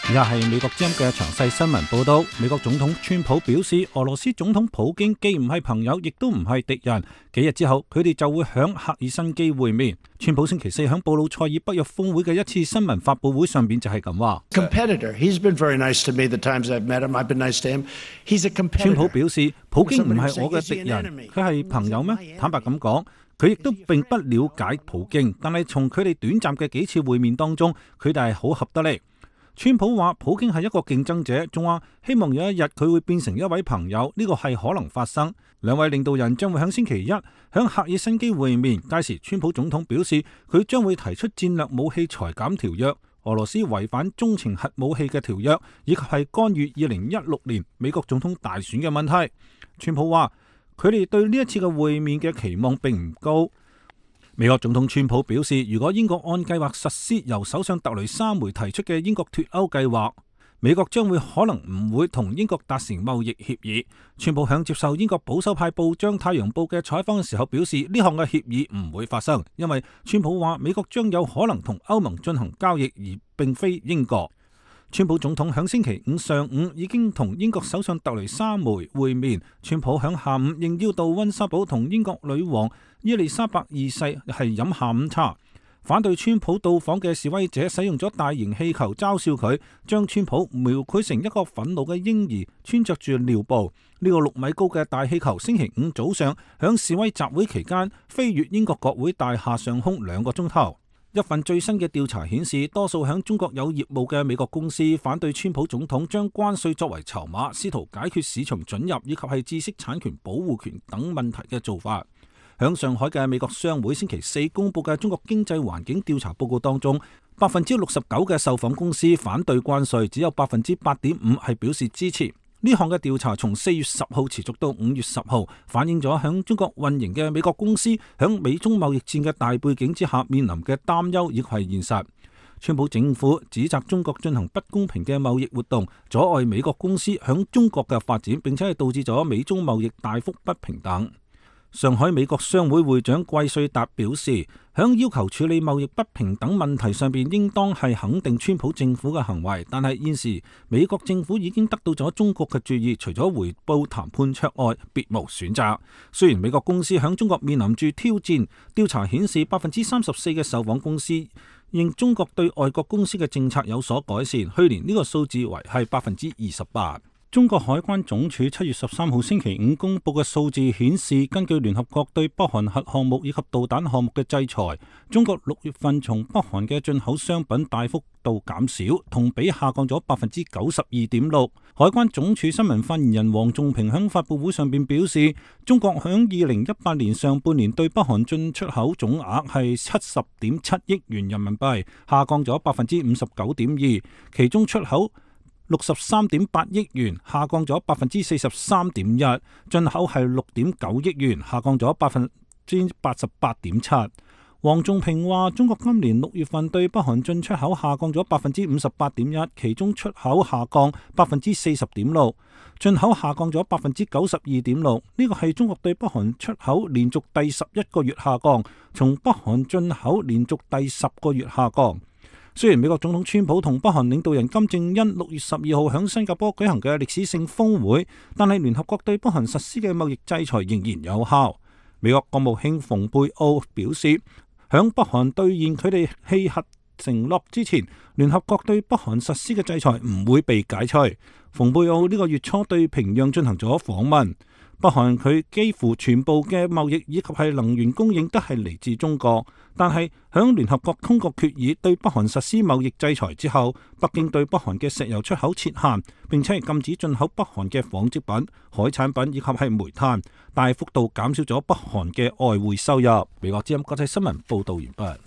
以下係美國之音嘅詳細新聞報道。美國總統川普表示，俄羅斯總統普京既唔係朋友，亦都唔係敵人。幾日之後，佢哋就會響赫爾辛基會面。川普星期四響布魯塞爾北約峰會嘅一次新聞發佈會上邊就係咁話。川普表示，普京唔係我嘅敵人，佢係朋友咩？坦白咁講，佢亦都並不了解普京，但係從佢哋短暫嘅幾次會面當中，佢哋係好合得嚟。川普話普京係一個競爭者，仲話希望有一日佢會變成一位朋友，呢個係可能發生。兩位領導人將會喺星期一喺赫爾辛基會面，屆時川普總統表示佢將會提出戰略武器裁減條約、俄羅斯違反中程核武器嘅條約，以及係干預二零一六年美國總統大選嘅問題。川普話佢哋對呢一次嘅會面嘅期望並唔高。美國總統川普表示，如果英國按計劃實施由首相特雷莎梅提出嘅英國脫歐計劃，美國將會可能唔會同英國達成貿易協議。川普響接受英國保守派報章《太陽報》嘅採訪嘅時候表示，呢項嘅協議唔會發生，因為川普話美國將有可能同歐盟進行交易，而並非英國。川普總統響星期五上午已經同英國首相特雷莎梅會面。川普響下午應邀到溫莎堡同英國女王伊麗莎白二世係飲下午茶。反對川普到訪嘅示威者使用咗大型氣球嘲笑佢，將川普描繪成一個憤怒嘅嬰兒穿着住尿布。呢個六米高嘅大氣球星期五早上響示威集會期間飛越英國國會大廈上空兩個鐘頭。一份最新嘅調查顯示，多數響中國有業務嘅美國公司反對川普總統將關稅作為籌碼，試圖解決市場准入以及係知識產權保護權等問題嘅做法。響上海嘅美國商會星期四公布嘅中國經濟環境調查報告當中，百分之六十九嘅受訪公司反對關稅，只有百分之八點五係表示支持。呢項嘅調查從四月十號持續到五月十號，反映咗響中國運營嘅美國公司響美中貿易戰嘅大背景之下面臨嘅擔憂，亦係現實。川普政府指責中國進行不公平嘅貿易活動，阻礙美國公司響中國嘅發展，並且係導致咗美中貿易大幅不平等。上海美國商會會長季瑞達表示，響要求處理貿易不平等問題上邊，應當係肯定川普政府嘅行為。但係現時美國政府已經得到咗中國嘅注意，除咗回報談判桌外，別無選擇。雖然美國公司響中國面臨住挑戰，調查顯示百分之三十四嘅受訪公司認中國對外國公司嘅政策有所改善，去年呢個數字為係百分之二十八。中國海關總署七月十三號星期五公布嘅數字顯示，根據聯合國對北韓核項目以及導彈項目嘅制裁，中國六月份從北韓嘅進口商品大幅度減少，同比下降咗百分之九十二點六。海關總署新聞發言人黃仲平喺發佈會上邊表示，中國響二零一八年上半年對北韓進出口總額係七十點七億元人民幣，下降咗百分之五十九點二，其中出口六十三點八億元，下降咗百分之四十三點一；進口係六點九億元，下降咗百分之八十八點七。黃仲平話：中國今年六月份對北韓進出口下降咗百分之五十八點一，其中出口下降百分之四十點六，進口下降咗百分之九十二點六。呢個係中國對北韓出口連續第十一個月下降，從北韓進口連續第十個月下降。雖然美國總統川普同北韓領導人金正恩六月十二號喺新加坡舉行嘅歷史性峰會，但係聯合國對北韓實施嘅貿易制裁仍然有效。美國國務卿蓬佩奧表示，響北韓兌現佢哋棄核承諾之前，聯合國對北韓實施嘅制裁唔會被解除。蓬佩奧呢個月初對平壤進行咗訪問。北韓佢幾乎全部嘅貿易以及係能源供應都係嚟自中國，但係響聯合國通過決議對北韓實施貿易制裁之後，北京對北韓嘅石油出口設限，並且係禁止進口北韓嘅紡織品、海產品以及係煤炭，大幅度減少咗北韓嘅外匯收入。美國之音國際新聞報道完畢。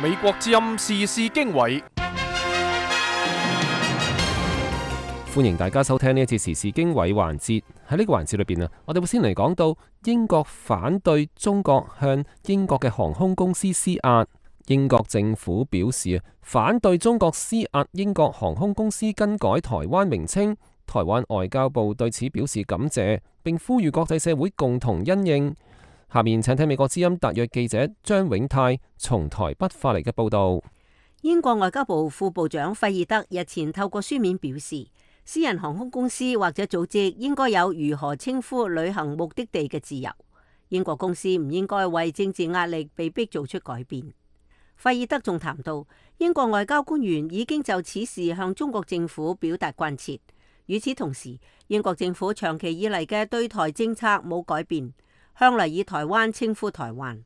美國之音時事經緯。歡迎大家收聽呢一次時事經緯環節。喺呢個環節裏邊啊，我哋會先嚟講到英國反對中國向英國嘅航空公司施壓。英國政府表示啊，反對中國施壓英國航空公司更改台灣名稱。台灣外交部對此表示感謝，並呼籲國際社會共同因應。下面請聽美國之音特約記者張永泰從台北發嚟嘅報道。英國外交部副部長費爾德日前透過書面表示，私人航空公司或者組織應該有如何稱呼旅行目的地嘅自由。英國公司唔應該為政治壓力被迫做出改變。費爾德仲談到，英國外交官員已經就此事向中國政府表達關切。與此同時，英國政府長期以嚟嘅對台政策冇改變，向嚟以台灣稱呼台灣。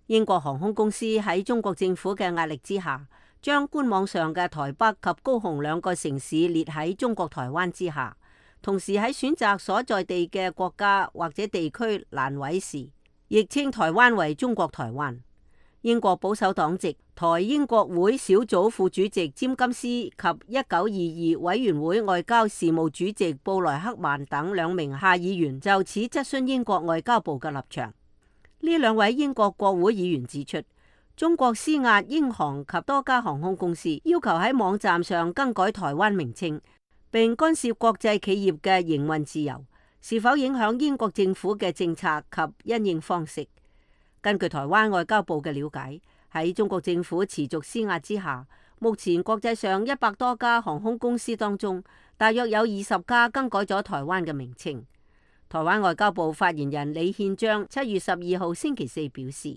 英國航空公司喺中國政府嘅壓力之下，將官網上嘅台北及高雄兩個城市列喺中國台灣之下，同時喺選擇所在地嘅國家或者地區欄位時，亦稱台灣為中國台灣。英國保守黨籍台英國會小組副主席詹金斯及一九二二委員會外交事務主席布萊克曼等兩名下議員就此質詢英國外交部嘅立場。呢兩位英國國會議員指出，中國施壓英航及多家航空公司，要求喺網站上更改台灣名稱，並干涉國際企業嘅營運自由，是否影響英國政府嘅政策及因應方式？根據台灣外交部嘅了解，喺中國政府持續施壓之下，目前國際上一百多家航空公司當中，大約有二十家更改咗台灣嘅名稱。台灣外交部發言人李憲章七月十二號星期四表示，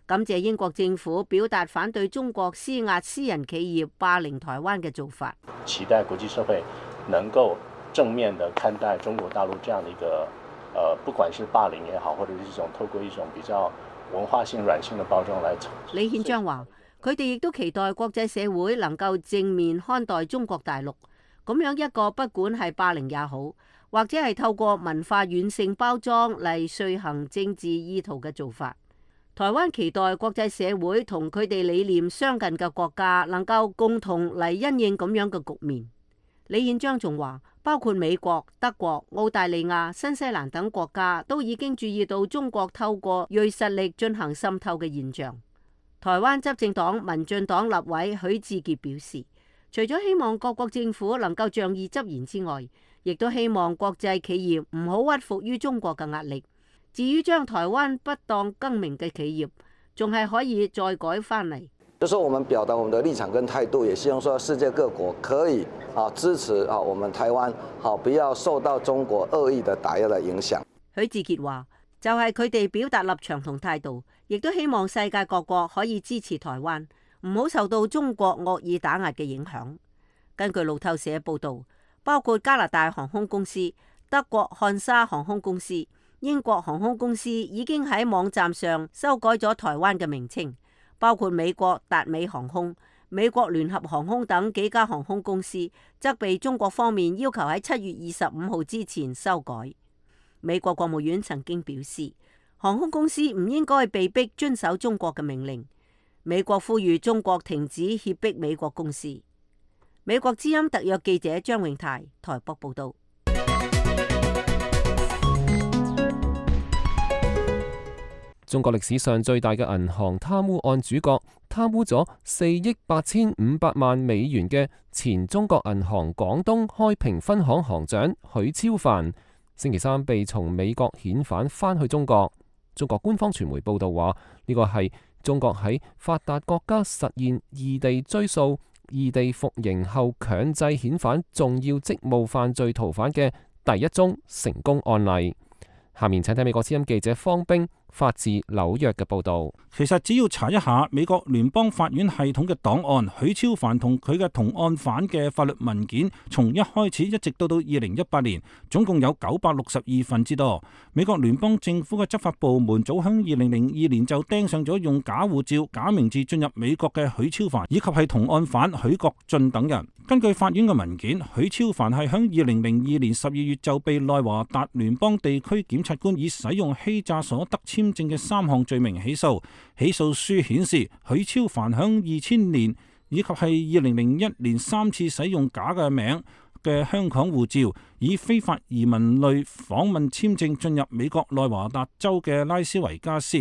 感謝英國政府表達反對中國施壓私人企業霸凌台灣嘅做法，期待國際社會能夠正面地看待中國大陸這樣的一個，呃，不管是霸凌也好，或者是一種透過一種比較文化性軟性的包裝來。李憲章話，佢哋亦都期待國際社會能夠正面看待中國大陸，咁樣一個不管係霸凌也好，或者係透過文化軟性包裝嚟遂行政治意圖嘅做法。台灣期待國際社會同佢哋理念相近嘅國家能夠共同嚟因應咁樣嘅局面。李憲章仲話，包括美國、德國、澳大利亞、新西蘭等國家都已經注意到中國透過銳實力進行滲透嘅現象。台灣執政黨民進黨立委許智傑表示，除咗希望各國政府能夠仗義執言之外，亦都希望國際企業唔好屈服於中國嘅壓力。至於將台灣不當更名嘅企業，仲係可以再改翻嚟。就說我們表達我們的立場跟態度，也希望說世界各國可以啊支持啊我們台灣，好不要受到中國惡意的打壓的影響。許智傑話，就係佢哋表達立場同態度，亦都希望世界各國可以支持台灣，唔好受到中國惡意打壓嘅影響。根據路透社報道，包括加拿大航空公司、德國漢莎航空公司、英國航空公司已經喺網站上修改咗台灣嘅名稱。包括美國達美航空、美國聯合航空等幾家航空公司，則被中國方面要求喺七月二十五號之前修改。美國國務院曾經表示，航空公司唔應該被逼遵守中國嘅命令。美國呼籲中國停止脅迫美國公司。美國之音特約記者張永泰台北報道。中國歷史上最大嘅銀行貪污案主角，貪污咗四億八千五百萬美元嘅前中國銀行廣東開平分行行長許超凡，星期三被從美國遣返返去中國。中國官方傳媒報道話，呢個係中國喺發達國家實現異地追訴、異地服刑後強制遣返重要職務犯罪逃犯嘅第一宗成功案例。下面請睇美國之音記者方冰發自紐約嘅報導。其實只要查一下美國聯邦法院系統嘅檔案，許超凡同佢嘅同案犯嘅法律文件，從一開始一直到到二零一八年，總共有九百六十二份之多。美國聯邦政府嘅執法部門早喺二零零二年就盯上咗用假護照、假名字進入美國嘅許超凡，以及係同案犯許國俊等人。根據法院嘅文件，許超凡係喺二零零二年十二月就被內華達聯邦地區檢察官以使用欺詐所得簽證嘅三項罪名起訴。起訴書顯示，許超凡喺二千年以及係二零零一年三次使用假嘅名嘅香港護照，以非法移民類訪問簽證進入美國內華達州嘅拉斯維加斯。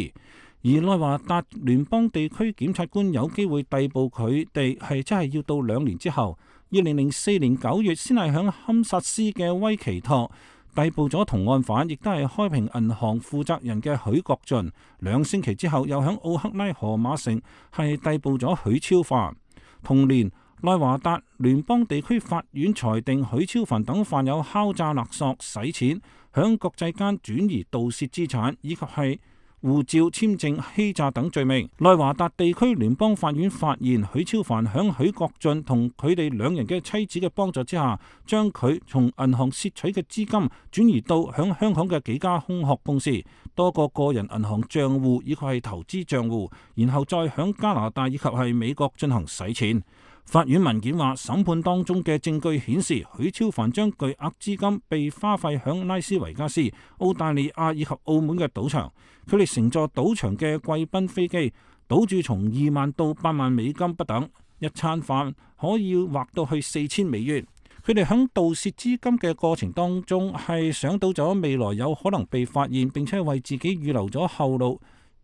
而內華達聯邦地區檢察官有機會逮捕佢哋，係真係要到兩年之後，二零零四年九月先係響堪薩斯嘅威奇托逮捕咗同案犯，亦都係開平銀行負責人嘅許國俊。兩星期之後，又響奧克拉荷馬城係逮捕咗許超凡。同年，內華達聯邦地區法院裁定許超凡等犯有敲詐勒索、洗錢、響國際間轉移盜竊資產以及係護照簽證欺詐等罪名。內華達地區聯邦法院發現許超凡響許國俊同佢哋兩人嘅妻子嘅幫助之下，將佢從銀行竊取嘅資金轉移到響香港嘅幾家空殼公司、多個個人銀行賬戶以及係投資賬戶，然後再響加拿大以及係美國進行洗錢。法院文件話，審判當中嘅證據顯示，許超凡將巨額資金被花費響拉斯維加斯、澳大利亞以及澳門嘅賭場。佢哋乘坐賭場嘅貴賓飛機，賭注從二萬到八萬美金不等，一餐飯可以劃到去四千美元。佢哋響盜竊資金嘅過程當中，係想到咗未來有可能被發現，並且為自己預留咗後路。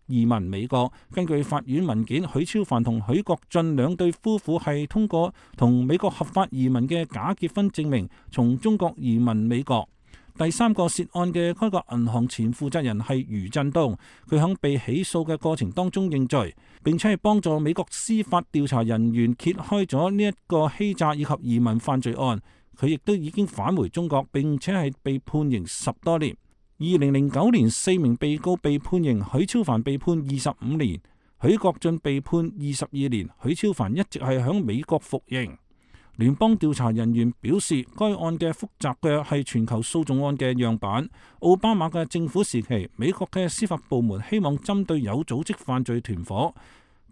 移民美國。根據法院文件，許超凡同許國俊兩對夫婦係通過同美國合法移民嘅假結婚證明，從中國移民美國。第三個涉案嘅該國銀行前負責人係余振東，佢喺被起訴嘅過程當中認罪，並且係幫助美國司法調查人員揭開咗呢一個欺詐以及移民犯罪案。佢亦都已經返回中國，並且係被判刑十多年。二零零九年，四名被告被判刑，許超凡被判二十五年，許國俊被判二十二年，許超凡一直係響美國服刑。聯邦調查人員表示，該案嘅複雜嘅係全球訴訟案嘅樣板。奧巴馬嘅政府時期，美國嘅司法部門希望針對有組織犯罪團伙、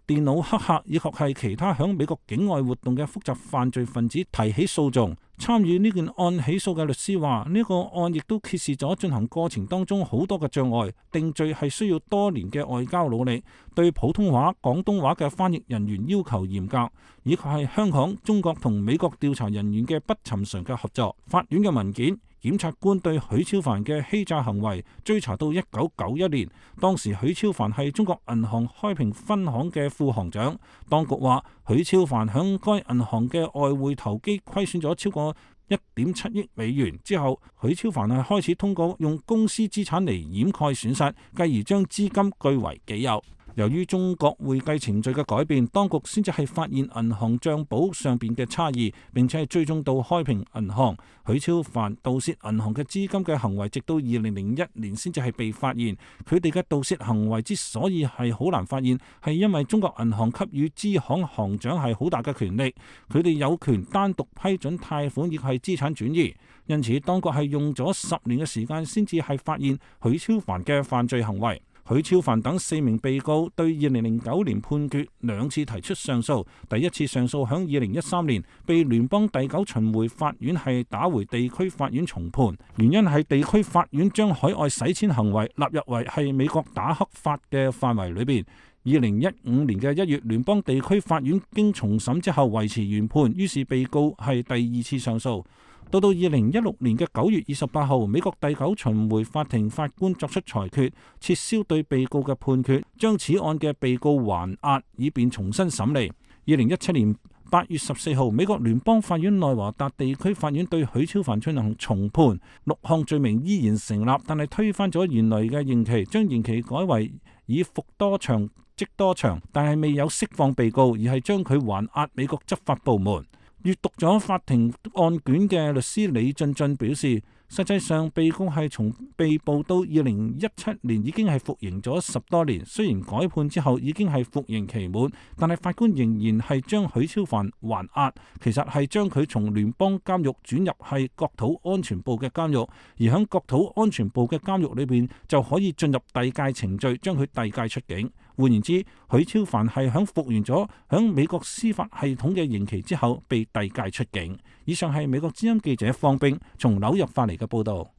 電腦黑客以及係其他響美國境外活動嘅複雜犯罪分子提起訴訟。參與呢件案起訴嘅律師話，呢個案亦都揭示咗進行過程當中好多嘅障礙，定罪係需要多年嘅外交努力，對普通話、廣東話嘅翻譯人員要求嚴格，以及係香港、中國同美國調查人員嘅不尋常嘅合作。法院嘅文件，檢察官對許超凡嘅欺詐行為追查到一九九一年，當時許超凡係中國銀行開平分行嘅副行長。當局話，許超凡響該銀行嘅外匯投機虧損咗超過一點七億美元之後，許超凡係開始通過用公司資產嚟掩蓋損失，繼而將資金據為己有。由於中國會計程序嘅改變，當局先至係發現銀行帳簿上邊嘅差異，並且係追蹤到開平銀行。許超凡盜竊銀行嘅資金嘅行為，直到二零零一年先至係被發現。佢哋嘅盜竊行為之所以係好難發現，係因為中國銀行給予支行行長係好大嘅權力，佢哋有權單獨批准貸款亦係資產轉移。因此，當局係用咗十年嘅時間先至係發現許超凡嘅犯罪行為。許超凡等四名被告對二零零九年判決兩次提出上訴，第一次上訴響二零一三年被聯邦第九巡迴法院係打回地區法院重判，原因係地區法院將海外洗錢行為納入為係美國打黑法嘅範圍裏邊。二零一五年嘅一月，聯邦地區法院經重審之後維持原判，於是被告係第二次上訴。到到二零一六年嘅九月二十八號，美國第九巡迴法庭法官作出裁決，撤銷對被告嘅判決，將此案嘅被告還押，以便重新審理。二零一七年八月十四號，美國聯邦法院內華達地區法院對許超凡進行重判，六項罪名依然成立，但係推翻咗原來嘅刑期，將刑期改為以服多長即多長，但係未有釋放被告，而係將佢還押美國執法部門。閱讀咗法庭案卷嘅律師李俊俊表示，實際上，被告係從被捕到二零一七年已經係服刑咗十多年。雖然改判之後已經係服刑期滿，但係法官仍然係將許超凡還押，其實係將佢從聯邦監獄轉入係國土安全部嘅監獄，而喺國土安全部嘅監獄裏邊就可以進入遞解程序，將佢遞解出境。換言之，許超凡係響服完咗響美國司法系統嘅刑期之後被遞解出境。以上係美國之音記者方冰從紐約發嚟嘅報道。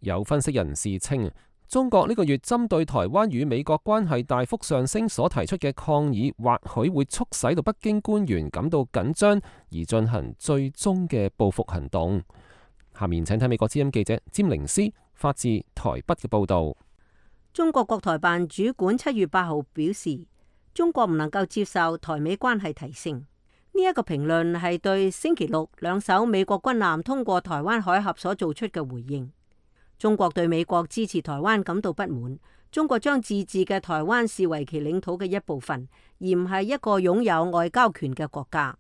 有分析人士稱，中國呢個月針對台灣與美國關係大幅上升所提出嘅抗議，或許會促使到北京官員感到緊張，而進行最終嘅報復行動。下面請睇美國之音記者詹寧斯發自台北嘅報道。中國國台辦主管七月八號表示，中國唔能夠接受台美關係提升。呢、這、一個評論係對星期六兩艘美國軍艦通過台灣海峽所做出嘅回應。中國對美國支持台灣感到不滿，中國將自治嘅台灣視為其領土嘅一部分，而唔係一個擁有外交權嘅國家。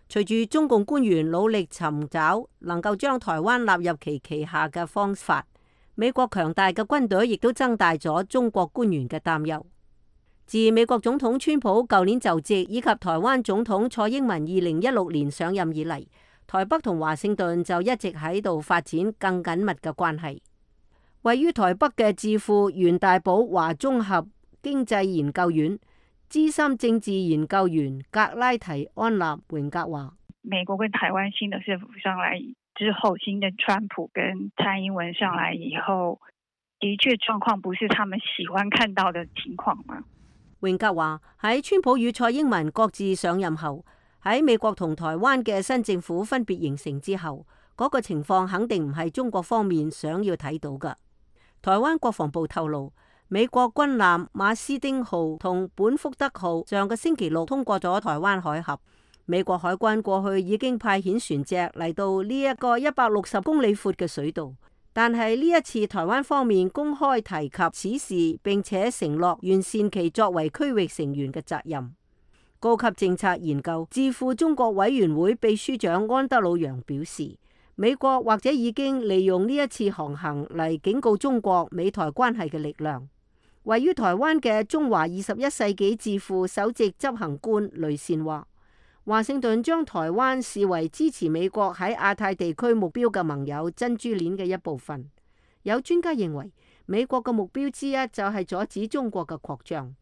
隨住中共官員努力尋找能夠將台灣納入其旗下嘅方法，美國強大嘅軍隊亦都增大咗中國官員嘅擔憂。自美國總統川普舊年就職，以及台灣總統蔡英文二零一六年上任以嚟，台北同華盛頓就一直喺度發展更緊密嘅關係。位於台北嘅智庫袁大寶華綜合經濟研究院資深政治研究員格拉提安納榮格話：美國跟台灣新的政府上來之後，新的川普跟蔡英文上來以後，的確狀況不是他們喜歡看到的情況嗎？榮格話喺川普與蔡英文各自上任後，喺美國同台灣嘅新政府分別形成之後，嗰、那個情況肯定唔係中國方面想要睇到嘅。台灣國防部透露，美國軍艦馬斯丁號同本福德號上個星期六通過咗台灣海峽。美國海軍過去已經派遣船隻嚟到呢一個一百六十公里闊嘅水道，但係呢一次台灣方面公開提及此事，並且承諾完善其作為區域成員嘅責任。高級政策研究智庫中國委員會秘書長安德魯揚表示，美國或者已經利用呢一次航行嚟警告中國美台關係嘅力量。位於台灣嘅中華二十一世紀智庫首席執行官雷善話，華盛頓將台灣視為支持美國喺亞太地區目標嘅盟友珍珠鏈嘅一部分。有專家認為，美國嘅目標之一就係阻止中國嘅擴張，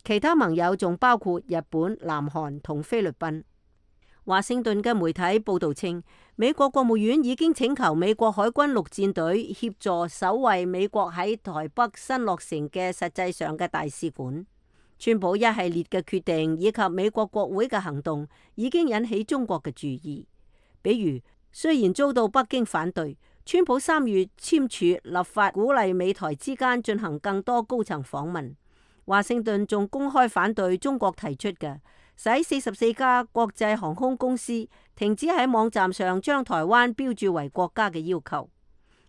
其他盟友仲包括日本、南韓同菲律賓。華盛頓嘅媒體報道稱，美國國務院已經請求美國海軍陸戰隊協助守衛美國喺台北新落成嘅實際上嘅大使館。川普一系列嘅決定以及美國國會嘅行動已經引起中國嘅注意。比如，雖然遭到北京反對，川普三月簽署立法鼓勵美台之間進行更多高層訪問。華盛頓仲公開反對中國提出嘅使四十四家國際航空公司停止喺網站上將台灣標註為國家嘅要求。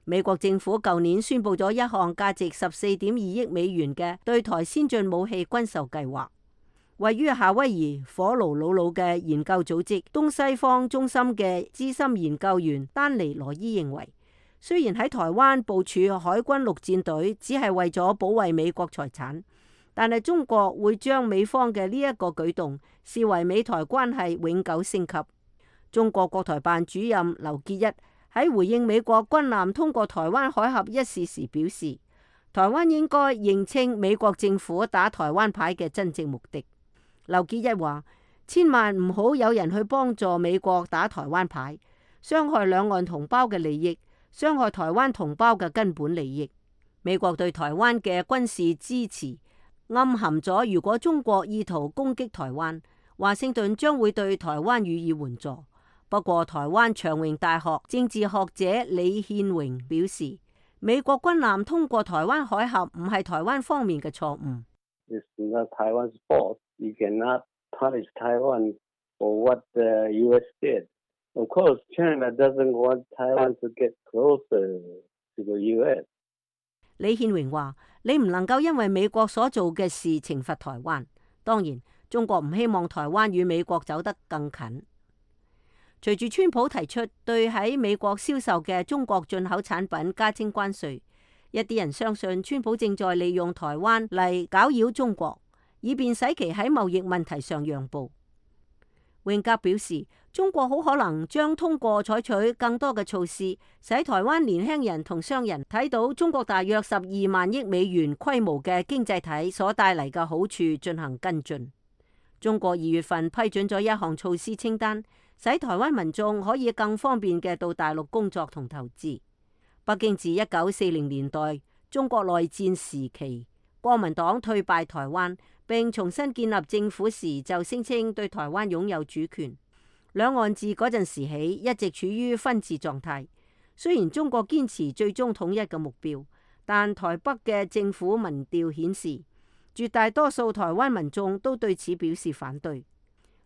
美國政府舊年宣布咗一項價值十四點二億美元嘅對台先進武器軍售計劃。位於夏威夷火爐魯魯嘅研究組織東西方中心嘅資深研究員丹尼羅伊認為，雖然喺台灣部署海軍陸戰隊只係為咗保衛美國財產，但係中國會將美方嘅呢一個舉動視為美台關係永久升級。中國國台辦主任劉結一喺回應美國軍艦通過台灣海峽一事時表示，台灣應該認清美國政府打台灣牌嘅真正目的。劉結一話，千萬唔好有人去幫助美國打台灣牌，傷害兩岸同胞嘅利益，傷害台灣同胞嘅根本利益。美國對台灣嘅軍事支持暗含咗，如果中國意圖攻擊台灣，華盛頓將會對台灣予以援助。不過，台灣長榮大學政治學者李憲榮表示，美國軍艦通過台灣海峽唔係台灣方面嘅錯誤。It's not Taiwan's fault. You cannot punish Taiwan for what the U S did. Of course, China doesn't want Taiwan to get closer to the U S. 李憲榮話：你唔能夠因為美國所做嘅事懲罰台灣。當然，中國唔希望台灣與美國走得更近。隨住川普提出對喺美國銷售嘅中國進口產品加徵關稅，一啲人相信川普正在利用台灣嚟攪擾中國，以便使其喺貿易問題上讓步。榮格表示，中國好可能將通過採取更多嘅措施，使台灣年輕人同商人睇到中國大約十二萬億美元規模嘅經濟體所帶嚟嘅好處進行跟進。中國二月份批准咗一項措施清單，使台灣民眾可以更方便嘅到大陸工作同投資。北京自一九四零年代中國內戰時期，國民黨退敗台灣並重新建立政府時，就聲稱對台灣擁有主權。兩岸自嗰陣時起一直處於分治狀態。雖然中國堅持最終統一嘅目標，但台北嘅政府民調顯示，絕大多數台灣民眾都對此表示反對。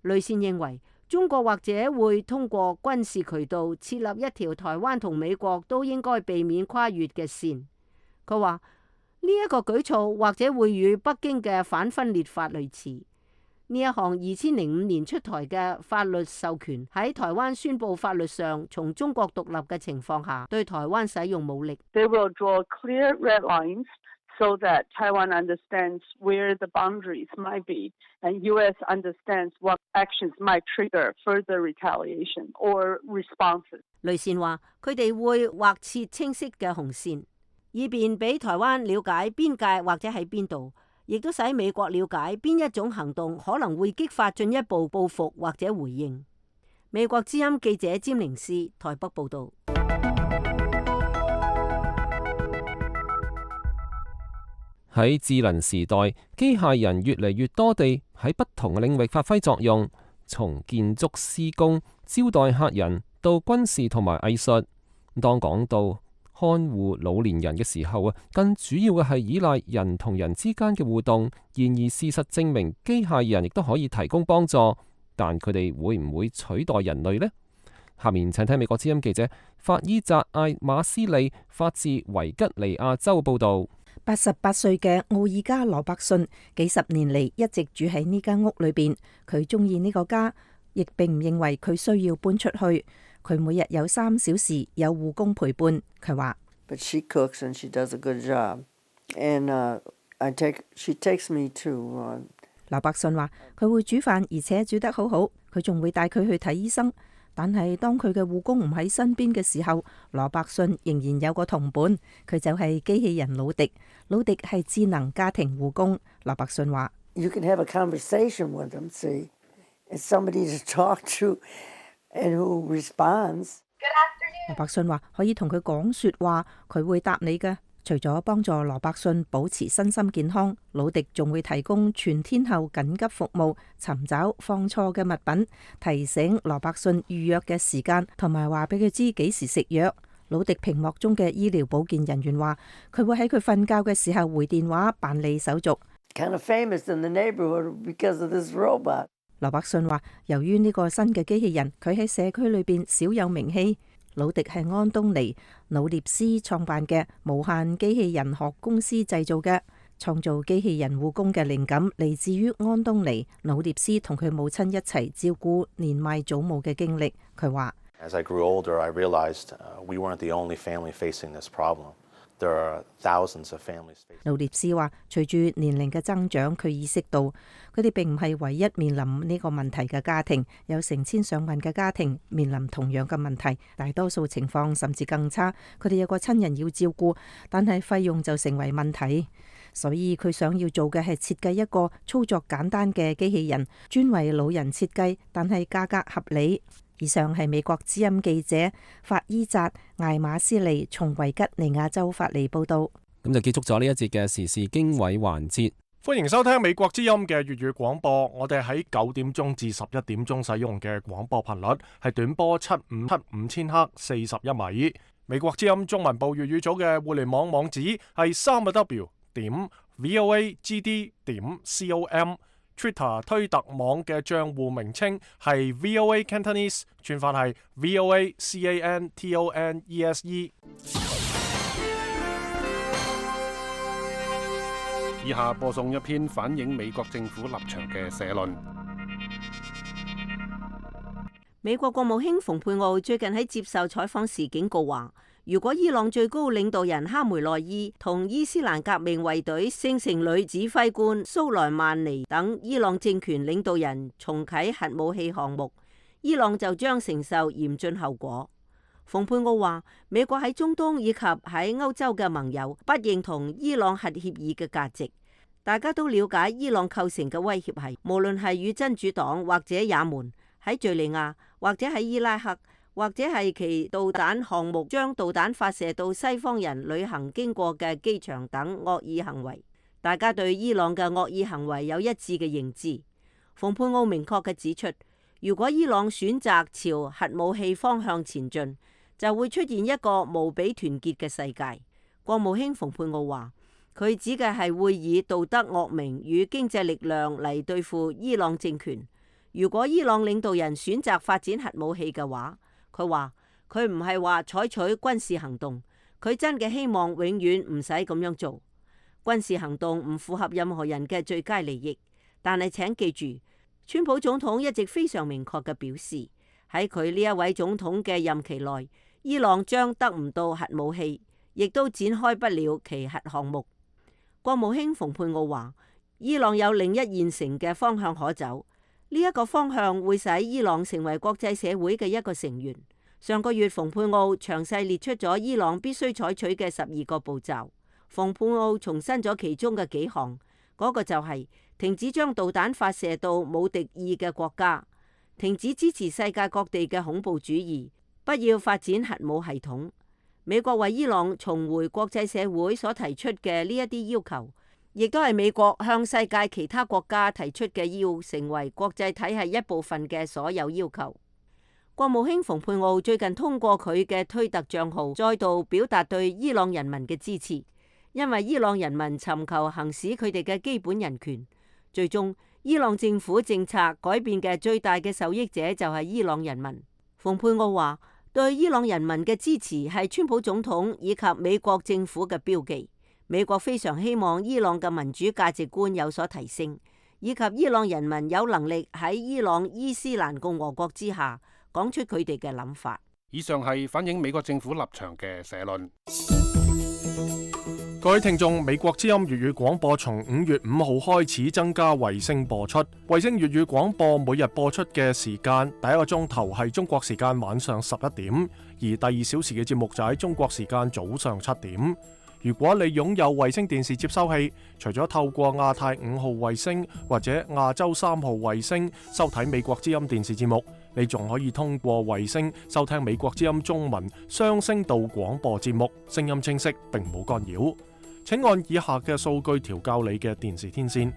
雷善認為，中國或者會通過軍事渠道設立一條台灣同美國都應該避免跨越嘅線。佢話呢一個舉措或者會與北京嘅反分裂法類似。呢一項二千零五年出台嘅法律授權喺台灣宣布法律上從中國獨立嘅情況下，對台灣使用武力。They will draw clear red lines so that Taiwan understands where the boundaries might be, and U S understands what actions might trigger further retaliation or responses. 雷善話：佢哋會劃設清晰嘅紅線，以便俾台灣了解邊界或者喺邊度，亦都使美國了解邊一種行動可能會激發進一步報復或者回應。美國之音記者詹寧斯台北報導。喺智能時代，機械人越嚟越多地喺不同嘅領域發揮作用，從建築施工、招待客人到軍事同埋藝術。當講到看護老年人嘅時候啊，更主要嘅係依賴人同人之間嘅互動。然而事實證明，機械人亦都可以提供幫助，但佢哋會唔會取代人類呢？下面請聽美國之音記者法伊扎艾馬斯利發自維吉尼亞州報導。八十八歲嘅奧爾加羅伯遜幾十年嚟一直住喺呢間屋裏邊，佢中意呢個家，亦並唔認為佢需要搬出去。佢每日有三小時有護工陪伴。佢話：But she cooks and she does a good job, and uh, I take she takes me to. Uh... 羅伯遜話：佢會煮飯，而且煮得好好。佢仲會帶佢去睇醫生。但係當佢嘅護工唔喺身邊嘅時候，羅伯遜仍然有個同伴，佢就係機器人魯迪。魯迪係智能家庭護工。羅伯遜話：You can have a conversation with them, see, and somebody to talk to, and who responds. 羅伯遜話可以同佢講說話，佢會答你嘅。除咗幫助羅伯遜保持身心健康，魯迪仲會提供全天候緊急服務，尋找放錯嘅物品，提醒羅伯遜預約嘅時間，同埋話俾佢知幾時食藥。魯迪屏幕中嘅醫療保健人員話，佢會喺佢瞓覺嘅時候回電話辦理手續。Kind of famous in the neighborhood because of this robot. 羅伯遜話，由於呢個新嘅機器人，佢喺社區裏邊少有名氣。魯迪係安東尼努涅斯創辦嘅無限機器人學公司製造嘅，創造機器人護工嘅靈感嚟自於安東尼努涅斯同佢母親一齊照顧年邁祖母嘅經歷。佢話：As I grew older, I realized we weren't the only family facing this problem. There are thousands of families. 努涅斯話：隨住年齡嘅增長，佢意識到佢哋並唔係唯一面臨呢個問題嘅家庭，有成千上萬嘅家庭面臨同樣嘅問題，大多數情況甚至更差。佢哋有個親人要照顧，但係費用就成為問題。所以佢想要做嘅係設計一個操作簡單嘅機器人，專為老人設計，但係價格合理。以上係美國之音記者法伊扎艾馬斯利從維吉尼亞州發嚟報道。咁就結束咗呢一節嘅時事經緯環節。歡迎收聽美國之音嘅粵語廣播。我哋喺九點鐘至十一點鐘使用嘅廣播頻率係短波七五七五千赫四十一米。美國之音中文部粵語組嘅互聯網網址係三個 W 點 V O A G D 點 C O M。Twitter 推特網嘅賬戶名稱係 V O A Cantonese， 串法係 V O A C A N T O N E S E。 以下播送一篇反映美國政府立場嘅社論。美國國務卿蓬佩奧最近喺接受採訪時警告話，如果伊朗最高領導人哈梅內伊同伊斯蘭革命衛隊聖城旅指揮官蘇萊曼尼等伊朗政權領導人重啟核武器項目，伊朗就將承受嚴峻後果。蓬佩奧話，美國喺中東以及喺歐洲嘅盟友不認同伊朗核協議嘅價值。大家都了解伊朗構成嘅威脅係，無論係與真主黨或者也門，喺敘利亞或者喺伊拉克，或者係其導彈項目將導彈發射到西方人旅行經過嘅機場等惡意行為。大家對伊朗嘅惡意行為有一致嘅認知。蓬佩奧明確嘅指出，如果伊朗選擇朝核武器方向前進，就會出現一個無比團結嘅世界。國務卿蓬佩奧話，佢指嘅係會以道德惡名與經濟力量嚟對付伊朗政權。如果伊朗領導人選擇發展核武器嘅話，佢話佢唔係話採取軍事行動，佢真嘅希望永遠唔使咁樣做。軍事行動唔符合任何人嘅最佳利益。但係請記住，川普總統一直非常明確嘅表示，喺佢呢一位總統嘅任期內，伊朗將得唔到核武器，亦都展開不了其核項目。國務卿蓬佩奧話，伊朗有另一現成嘅方向可走，呢、這、一個方向會使伊朗成為國際社會嘅一個成員。上個月，蓬佩奧詳細列出咗伊朗必須採取嘅十二個步驟。蓬佩奧重申咗其中嘅幾項，嗰、那個就係停止將導彈發射到冇敵意嘅國家，停止支持世界各地嘅恐怖主義，不要發展核武系統。美國為伊朗重回國際社會所提出嘅呢一啲要求，亦都係美國向世界其他國家提出嘅要成為國際體系一部分嘅所有要求。國務卿蓬佩奧最近通過佢嘅推特賬號，再度表達對伊朗人民嘅支持，因為伊朗人民尋求行使佢哋嘅基本人權。最終，伊朗政府政策改變嘅最大嘅受益者就係伊朗人民。蓬佩奧話，對伊朗人民嘅支持係川普總統以及美國政府嘅標記。美國非常希望伊朗嘅民主價值觀有所提升，以及伊朗人民有能力喺伊朗伊斯蘭共和國之下講出佢哋嘅諗法。以上係反映美國政府立場嘅社論。各位聽眾，美國之音粵語廣播從五月五號開始增加衛星播出。衛星粵語廣播每日播出嘅時間，第一個鐘頭係中國時間晚上十一點，而第二小時嘅節目就喺中國時間早上七點。如果你擁有衛星電視接收器，除咗透過亞太五號衛星或者亞洲三號衛星收睇美國之音電視節目，你仲可以通過衛星收聽美國之音中文雙聲道廣播節目，聲音清晰並冇干擾。請按以下嘅數據調校你嘅電視天線。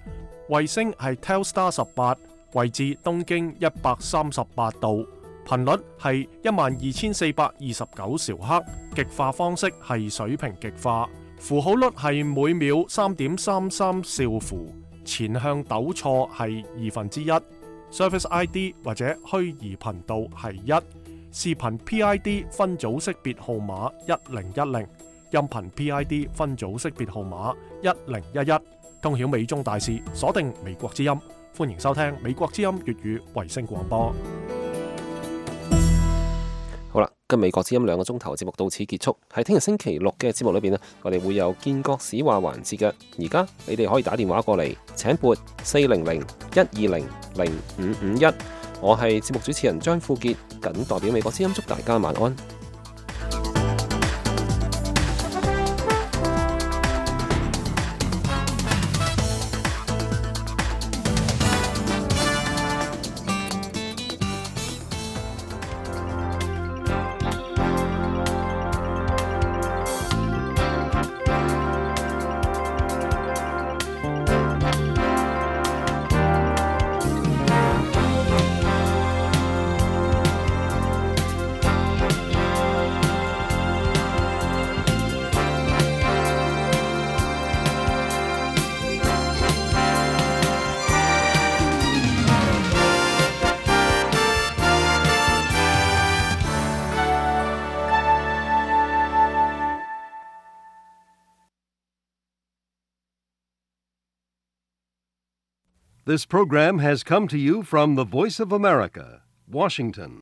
衛星係 Telstar 十八，位置東經一百三十八度，頻率係一萬二千四百二十九兆赫，極化方式係水平極化，符號率係每秒三點三三兆符，前向抖錯係二分之一，Service I D 或者虛擬頻道係一，視頻 P I D 分組識別號碼一零一零。音頻 P I D 分組識別號碼一零一一，通曉美中大事，鎖定美國之音，歡迎收聽美國之音粵語衛星廣播。好啦，跟美國之音兩個鐘頭節目到此結束。喺聽日星期六嘅節目裏邊呢，我哋會有建國史話環節嘅。而家你哋可以打電話過嚟，請撥四零零一二零零五五一。我係節目主持人張富傑，謹代表美國之音祝大家晚安。This program has come to you from the Voice of America, Washington.